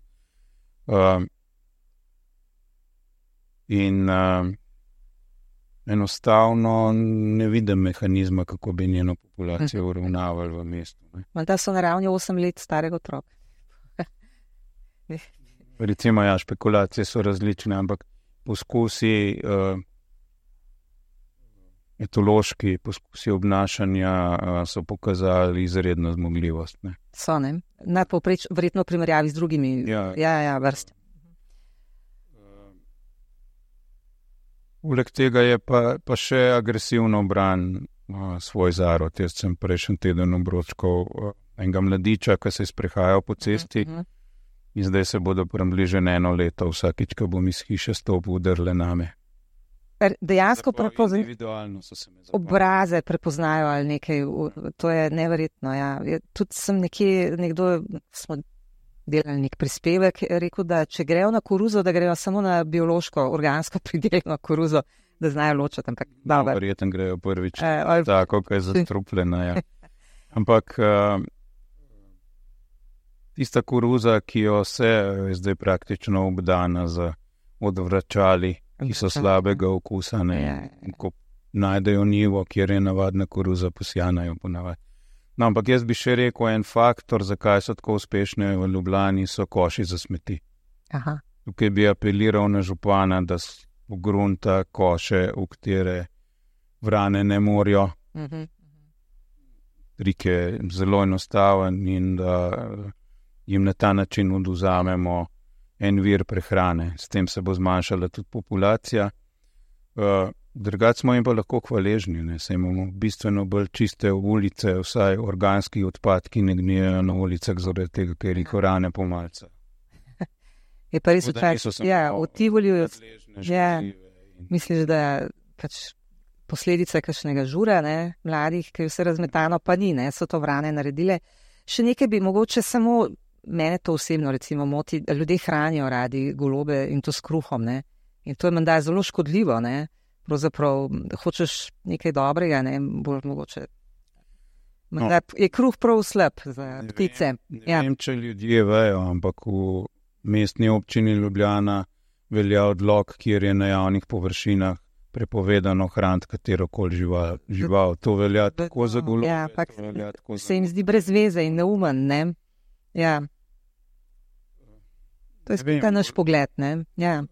Enostavno ne vidim mehanizma, kako bi njeno populacijo uravnavali v mestu. Da so na ravni 8 let starega otroka. Recimo, ja, špekulacije so različne, ampak poskusi, etološki poskusi obnašanja so pokazali izredno zmogljivost. Ne? So, ne? Verjetno v primerjavi z drugimi vrstami. Poleg tega je pa še agresivno bran svoj zarod. Jaz sem prejšnji teden obročkal enega mladiča, ki se je sprehajal po cesti in zdaj se bodo približno 1 leto vsakič, ko bom iz hiše stopil, udrle name. Dejansko obraze prepoznajo ali nekaj, to je neverjetno. Ja. Tudi sem smo delali nek prispevek, rekel, da če grejo na koruzo, da grejo samo na biološko, organsko pridelano koruzo, da znajo ločati. Verjetno grejo prvič tako, kaj je zastrupljena. Ja. Ampak tista koruza, ki jo vse je zdaj praktično obdana z odvračali, ki so slabega okusa, ko najdejo njivo, kjer je navadna koruza, posjanajo ponavadi. No, ampak jaz bi še rekel, en faktor, zakaj so tako uspešne v Ljubljani, so koši za smeti. Aha. Tukaj bi apeliral na župana, da pogrunta koše, v katere vrane ne morajo. Trik je zelo enostaven in da jim na ta način odvzamemo en vir prehrane. S tem se bo zmanjšala tudi populacija. Drugače smo jim pa lahko hvaležni, saj imamo bistveno bolj čiste ulice, vsaj organski odpadki ne gnijejo na ulicah zaradi tega, ker jih orane pomalca. Je pa res v Tivoliju, misliš, da pač posledica kakšnega žura, mladih, ki je vse razmetano, pa ni, so to vrane naredile. Še nekaj bi mogoče samo, mene to osebno recimo moti, da ljudje hranijo radi golobe in to s kruhom, in to je menda zelo škodljivo, Pravzaprav hočeš nekaj dobrega, bolj mogoče. Je kruh prav slab za ptice. Ne vem, če ljudje vejo, ampak v mestni občini Ljubljana velja odlok, kjer je na javnih površinah prepovedano hraniti katerokoli žival. To velja tako za golobe. Se jim zdi brez veze in neumen, Ja. To je spet naš pogled, Ja.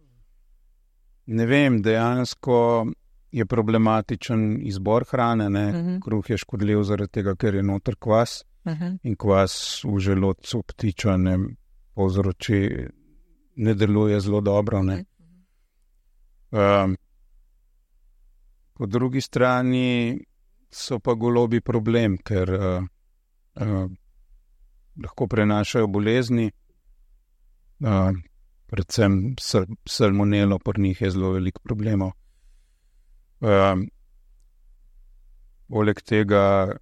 Ne vem, dejansko je problematičen izbor hrane. Kruh je škodljiv zaradi tega, ker je noter kvas in kvas v želodcu ptiča povzroči, ne deluje zelo dobro. Po drugi strani so pa golobi problem, ker lahko prenašajo bolezni. Predvsem salmonelo, pri njih je zelo veliko problemov. Poleg tega,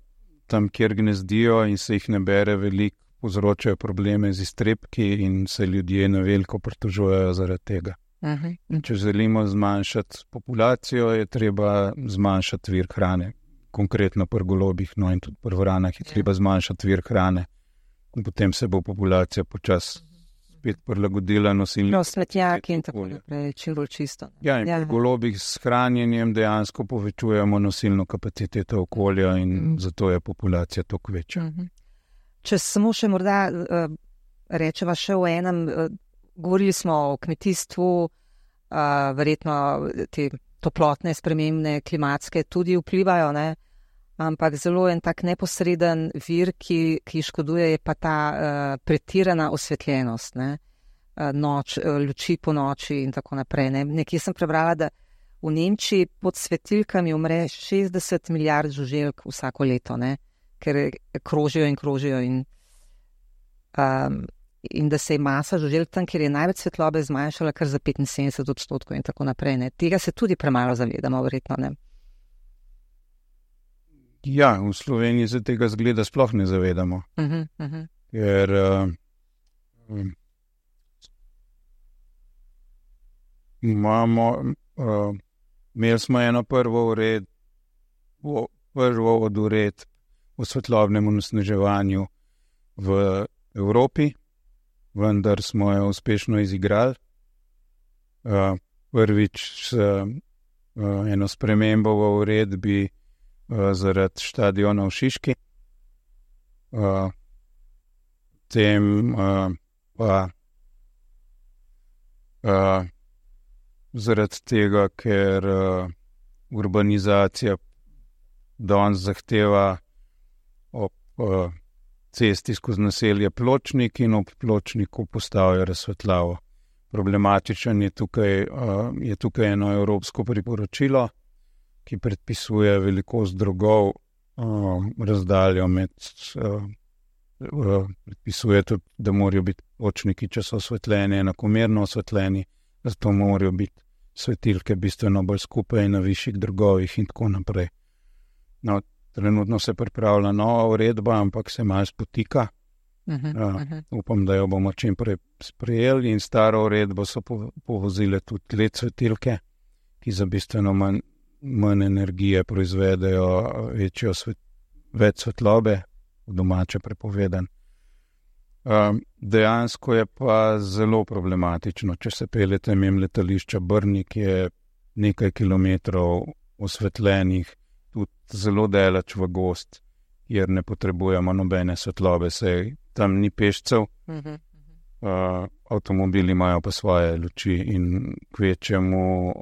tam, kjer gnezdijo in se jih ne bere veliko, povzročajo probleme z iztrebki in se ljudje na veliko pritožujejo zaradi tega. Če želimo zmanjšati populacijo, je treba zmanjšati vir hrane. Konkretno pri golobih, in tudi pri vranah je treba zmanjšati vir hrane. In potem se bo populacija počasi spet prilagodila nosilnika. No, smetnjaki in tako naprej, čim bolj čisto. Ja, in pri golobih s hranjenjem dejansko povečujemo nosilno kapaciteto okolja in zato je populacija toliko večja. Če samo še morda rečeva še o enem, govorili smo o kmetijstvu, verjetno te toplotne spremembe, klimatske tudi vplivajo, ne? Ampak zelo en tak neposreden vir, ki škoduje, je pa ta pretirana osvetljenost, ne? Luči po noči in tako naprej. Ne? Nekje sem prebrala, da v Nemčiji pod svetilkami umre 60 milijard žuželk vsako leto, ne? Ker krožijo in da se je masa žuželk tam, kjer je največ svetlobe, zmanjšala kar za 75% in tako naprej. Ne? Tega se tudi premalo zavedamo, verjetno, ne? Ja, v Sloveniji se tega zgleda sploh ne zavedamo, ker imeli smo eno prvo od uredb o svetlobnem onesnaževanju v Evropi, vendar smo jo uspešno izigrali. Prvič eno spremembo v uredbi zaradi štadiona v Šiški, potem pa zaradi tega, ker urbanizacija danes zahteva ob cesti skozi naselje Pločnik in ob Pločniku postavijo razsvetljavo. Problematičen je tukaj eno evropsko priporočilo, ki predpisuje velikost drogov, razdaljo med, predpisuje tudi, da morajo biti pločniki, če so osvetljeni, enakomerno osvetljeni, zato morajo biti svetilke bistveno bolj skupaj na višjih drogovih in tako naprej. No, trenutno se pripravlja nova uredba, ampak se malo spotika. Upam, da jo bomo čim prej sprejeli in staro uredbo so povozile tudi LED svetilke, ki za bistveno manj energije proizvedejo več svetlobe, v domače prepovedan. Dejansko je pa zelo problematično, če se peljete mimo letališča Brnik, je nekaj kilometrov osvetljenih, tudi zelo daleč v gozd, kjer ne potrebujemo nobene svetlobe, saj tam ni pešcev, avtomobili imajo pa svoje luči in kvečemu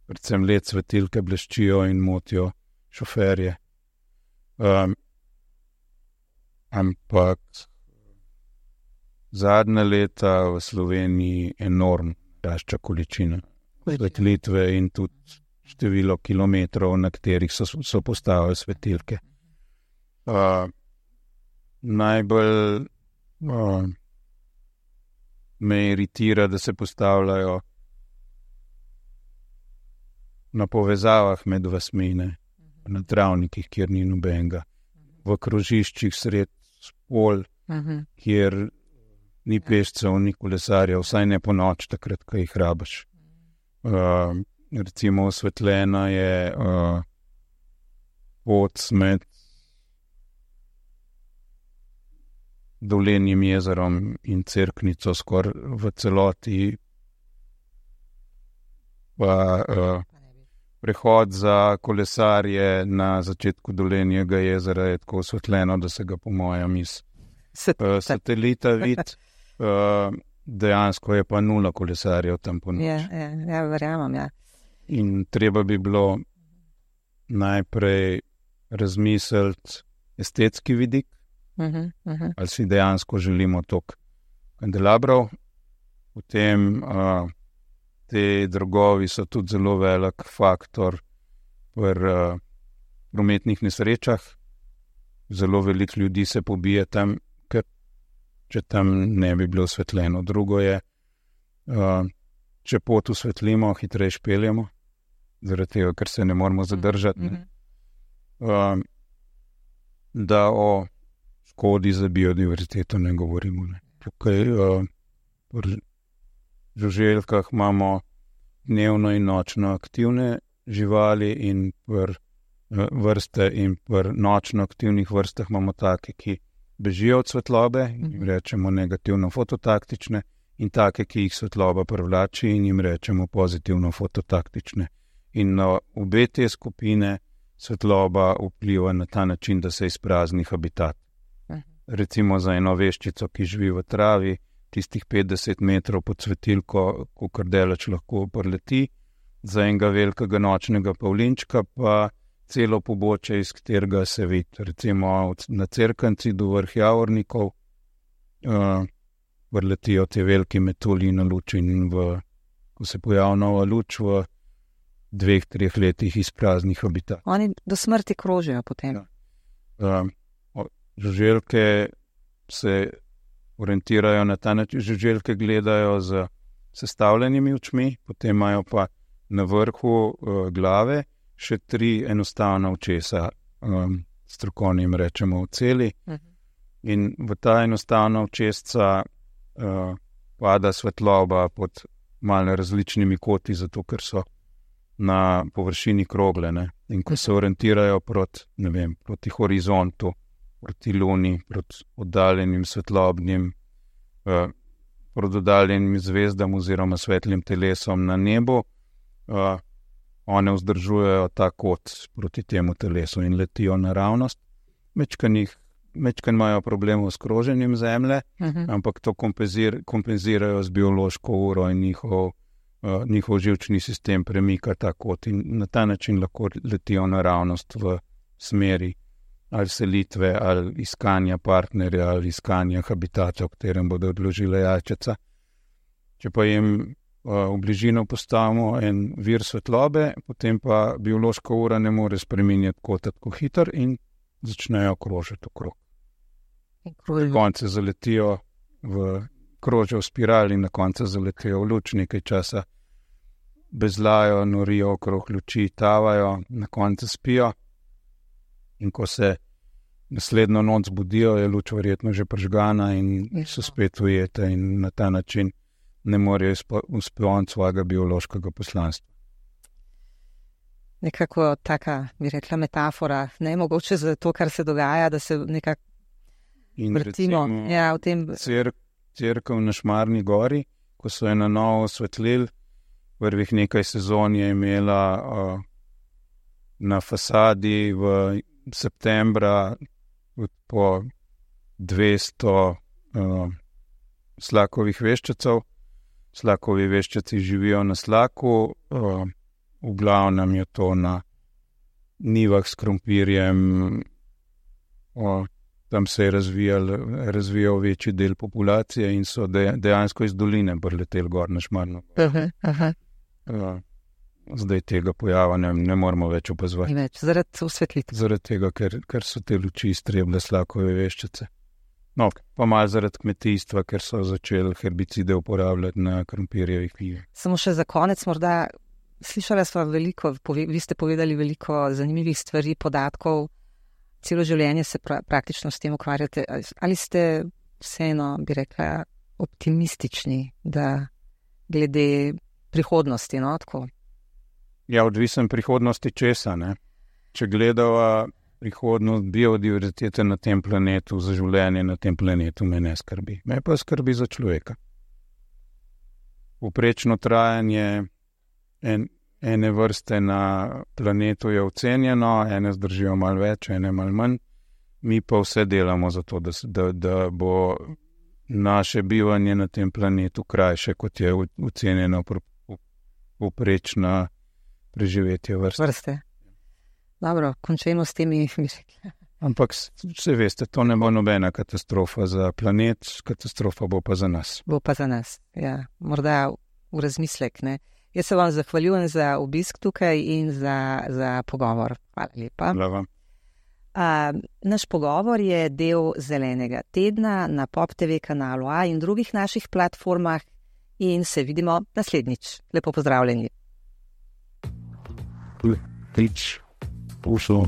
predvsem LED svetilke bleščijo in motijo šoferje. Ampak zadnja leta v Sloveniji enormno rašča količina svetlitve in tudi število kilometrov, na katerih so postavili svetilke. Najbolj me iritira, da se postavljajo na povezavah med vasmi, na travnikih, kjer ni nobenega, v krožiščih sred polj, kjer ni pešcev, ni kolesarjev, vsaj ne po noč, takrat, ko jih rabiš. Recimo osvetljena je pot med Dolenjim jezerom in Cerknico skoraj v celoti, pa prehod za kolesarje na začetku Dolenjega jezera je tako osvetljeno, da se ga po mojem iz satelita vidi. Dejansko je pa 0 kolesarjev tam po noč. Ja, verjamem, ja. In treba bi bilo najprej razmisliti estetski vidik, ali si dejansko želimo toliko kandelabrov, potem te drogovi so tudi zelo velik faktor pri prometnih nesrečah. Zelo veliko ljudi se pobije tam, ker če tam ne bi bilo osvetljeno. Drugo je, če pot osvetlimo, hitreje peljemo, zaradi tega, ker se ne moramo zadržati. Da o škodi za biodiverziteto ne govorimo. Tukaj pri žuželkah imamo dnevno in nočno aktivne živali in pri vrste in pri nočno aktivnih vrstah imamo take, ki bežijo od svetlobe, rečemo negativno fototaktične, in take, ki jih svetloba privlači in jim rečemo pozitivno fototaktične. In na obe te skupine svetloba vpliva na ta način, da se izprazni habitat. Recimo za eno veščico, ki živi v travi, tistih 50 metrov pod svetilko, kolikor daleč lahko preleti, za enega velikega nočnega pavlinčka pa celo pobočje, iz katerega se vidi. Recimo na Cerkanci do vrh Javornikov vrletijo te velike metulji na luč in ko se pojavi nova luč, v 2-3 letih izprazni habitat. Oni do smrti krožijo potem. Žuželke se orientirajo na ta način, žuželke gledajo z sestavljenimi očmi, potem imajo pa na vrhu glave še 3 enostavna očesa, strokovnim rečemo oceli. In v ta enostavna očesca pada svetloba pod malo različnimi koti, zato ker so na površini krogle, ne? In ko se orientirajo proti horizontu, proti luni, proti oddaljenim svetlobnim, proti oddaljenim zvezdam oziroma svetlim telesom na nebu, one vzdržujejo ta kot proti temu telesu in letijo naravnost. Mečkan imajo problemov s kroženjem Zemlje, ampak to kompenzirajo z biološko uro in njihov živčni sistem premika ta kot in na ta način lahko letijo naravnost v smeri ali selitve, ali iskanja partnerja, ali iskanja habitata, v katerem bodo odložile jajčeca. Če pa jim v bližino postavimo en vir svetlobe, potem pa biološka ura ne more spreminjati kota tako hitro in začnejo krožiti okrog. Na koncu zaletijo krožijo v spirali in na koncu zaletijo v luč, nekaj časa bezlajo, norijo okrog luči, tavajo, na koncu spijo. In ko se naslednjo noč zbudijo, je luč verjetno že prižgana in so spet ujete in na ta način ne morejo izpolniti svojega biološkega poslanstva. Nekako taka, bi rekla, metafora, ne mogoče za to, kar se dogaja, da se nekako vrtimo. V tem... Cerkev na Šmarni gori, ko so je na novo osvetlili, prvih nekaj sezon je imela na fasadi v septembra po 200 slakovih veščecev. Slakovi veščeci živijo na slaku, v glavnem je to na nivah s krompirjem, tam se je razvijal večji del populacije in so dejansko iz doline prileteli gor na Šmarno. Zdaj tega pojava ne moramo več opazovati. Zaradi osvetlitve. Zaradi tega, ker so te luči iztrebile slakove veščice. No, pa malo zaradi kmetijstva, ker so začeli herbicide uporabljati na krompirjevih njivah. Samo še za konec morda, slišala sva veliko, vi ste povedali veliko zanimivih stvari, podatkov, celo življenje se praktično s tem ukvarjate. Ali ste vseeno, bi rekla, optimistični, da glede prihodnosti, no, tako? Ja, odvisen prihodnosti česa, ne? Če gledava prihodnost biodiverzitete na tem planetu, za življenje na tem planetu, me ne skrbi. Me pa skrbi za človeka. Povprečno trajanje ene vrste na planetu je ocenjeno, ene zdržijo malo več, ene malo manj. Mi pa vse delamo za to, da bo naše bivanje na tem planetu krajše, kot je ocenjeno povprečna preživetje vrste. Dobro, končajmo s temi. Ampak vse veste, to ne bo nobena katastrofa za planet, katastrofa bo pa za nas. Bo pa za nas, ja. Morda v razmislek, ne. Jaz se vam zahvaljujem za obisk tukaj in za pogovor. Hvala lepa. Hvala vam. Naš pogovor je del Zelenega tedna na Pop TV kanalu A in drugih naših platformah in se vidimo naslednjič. Lepo pozdravljeni. Ušlo.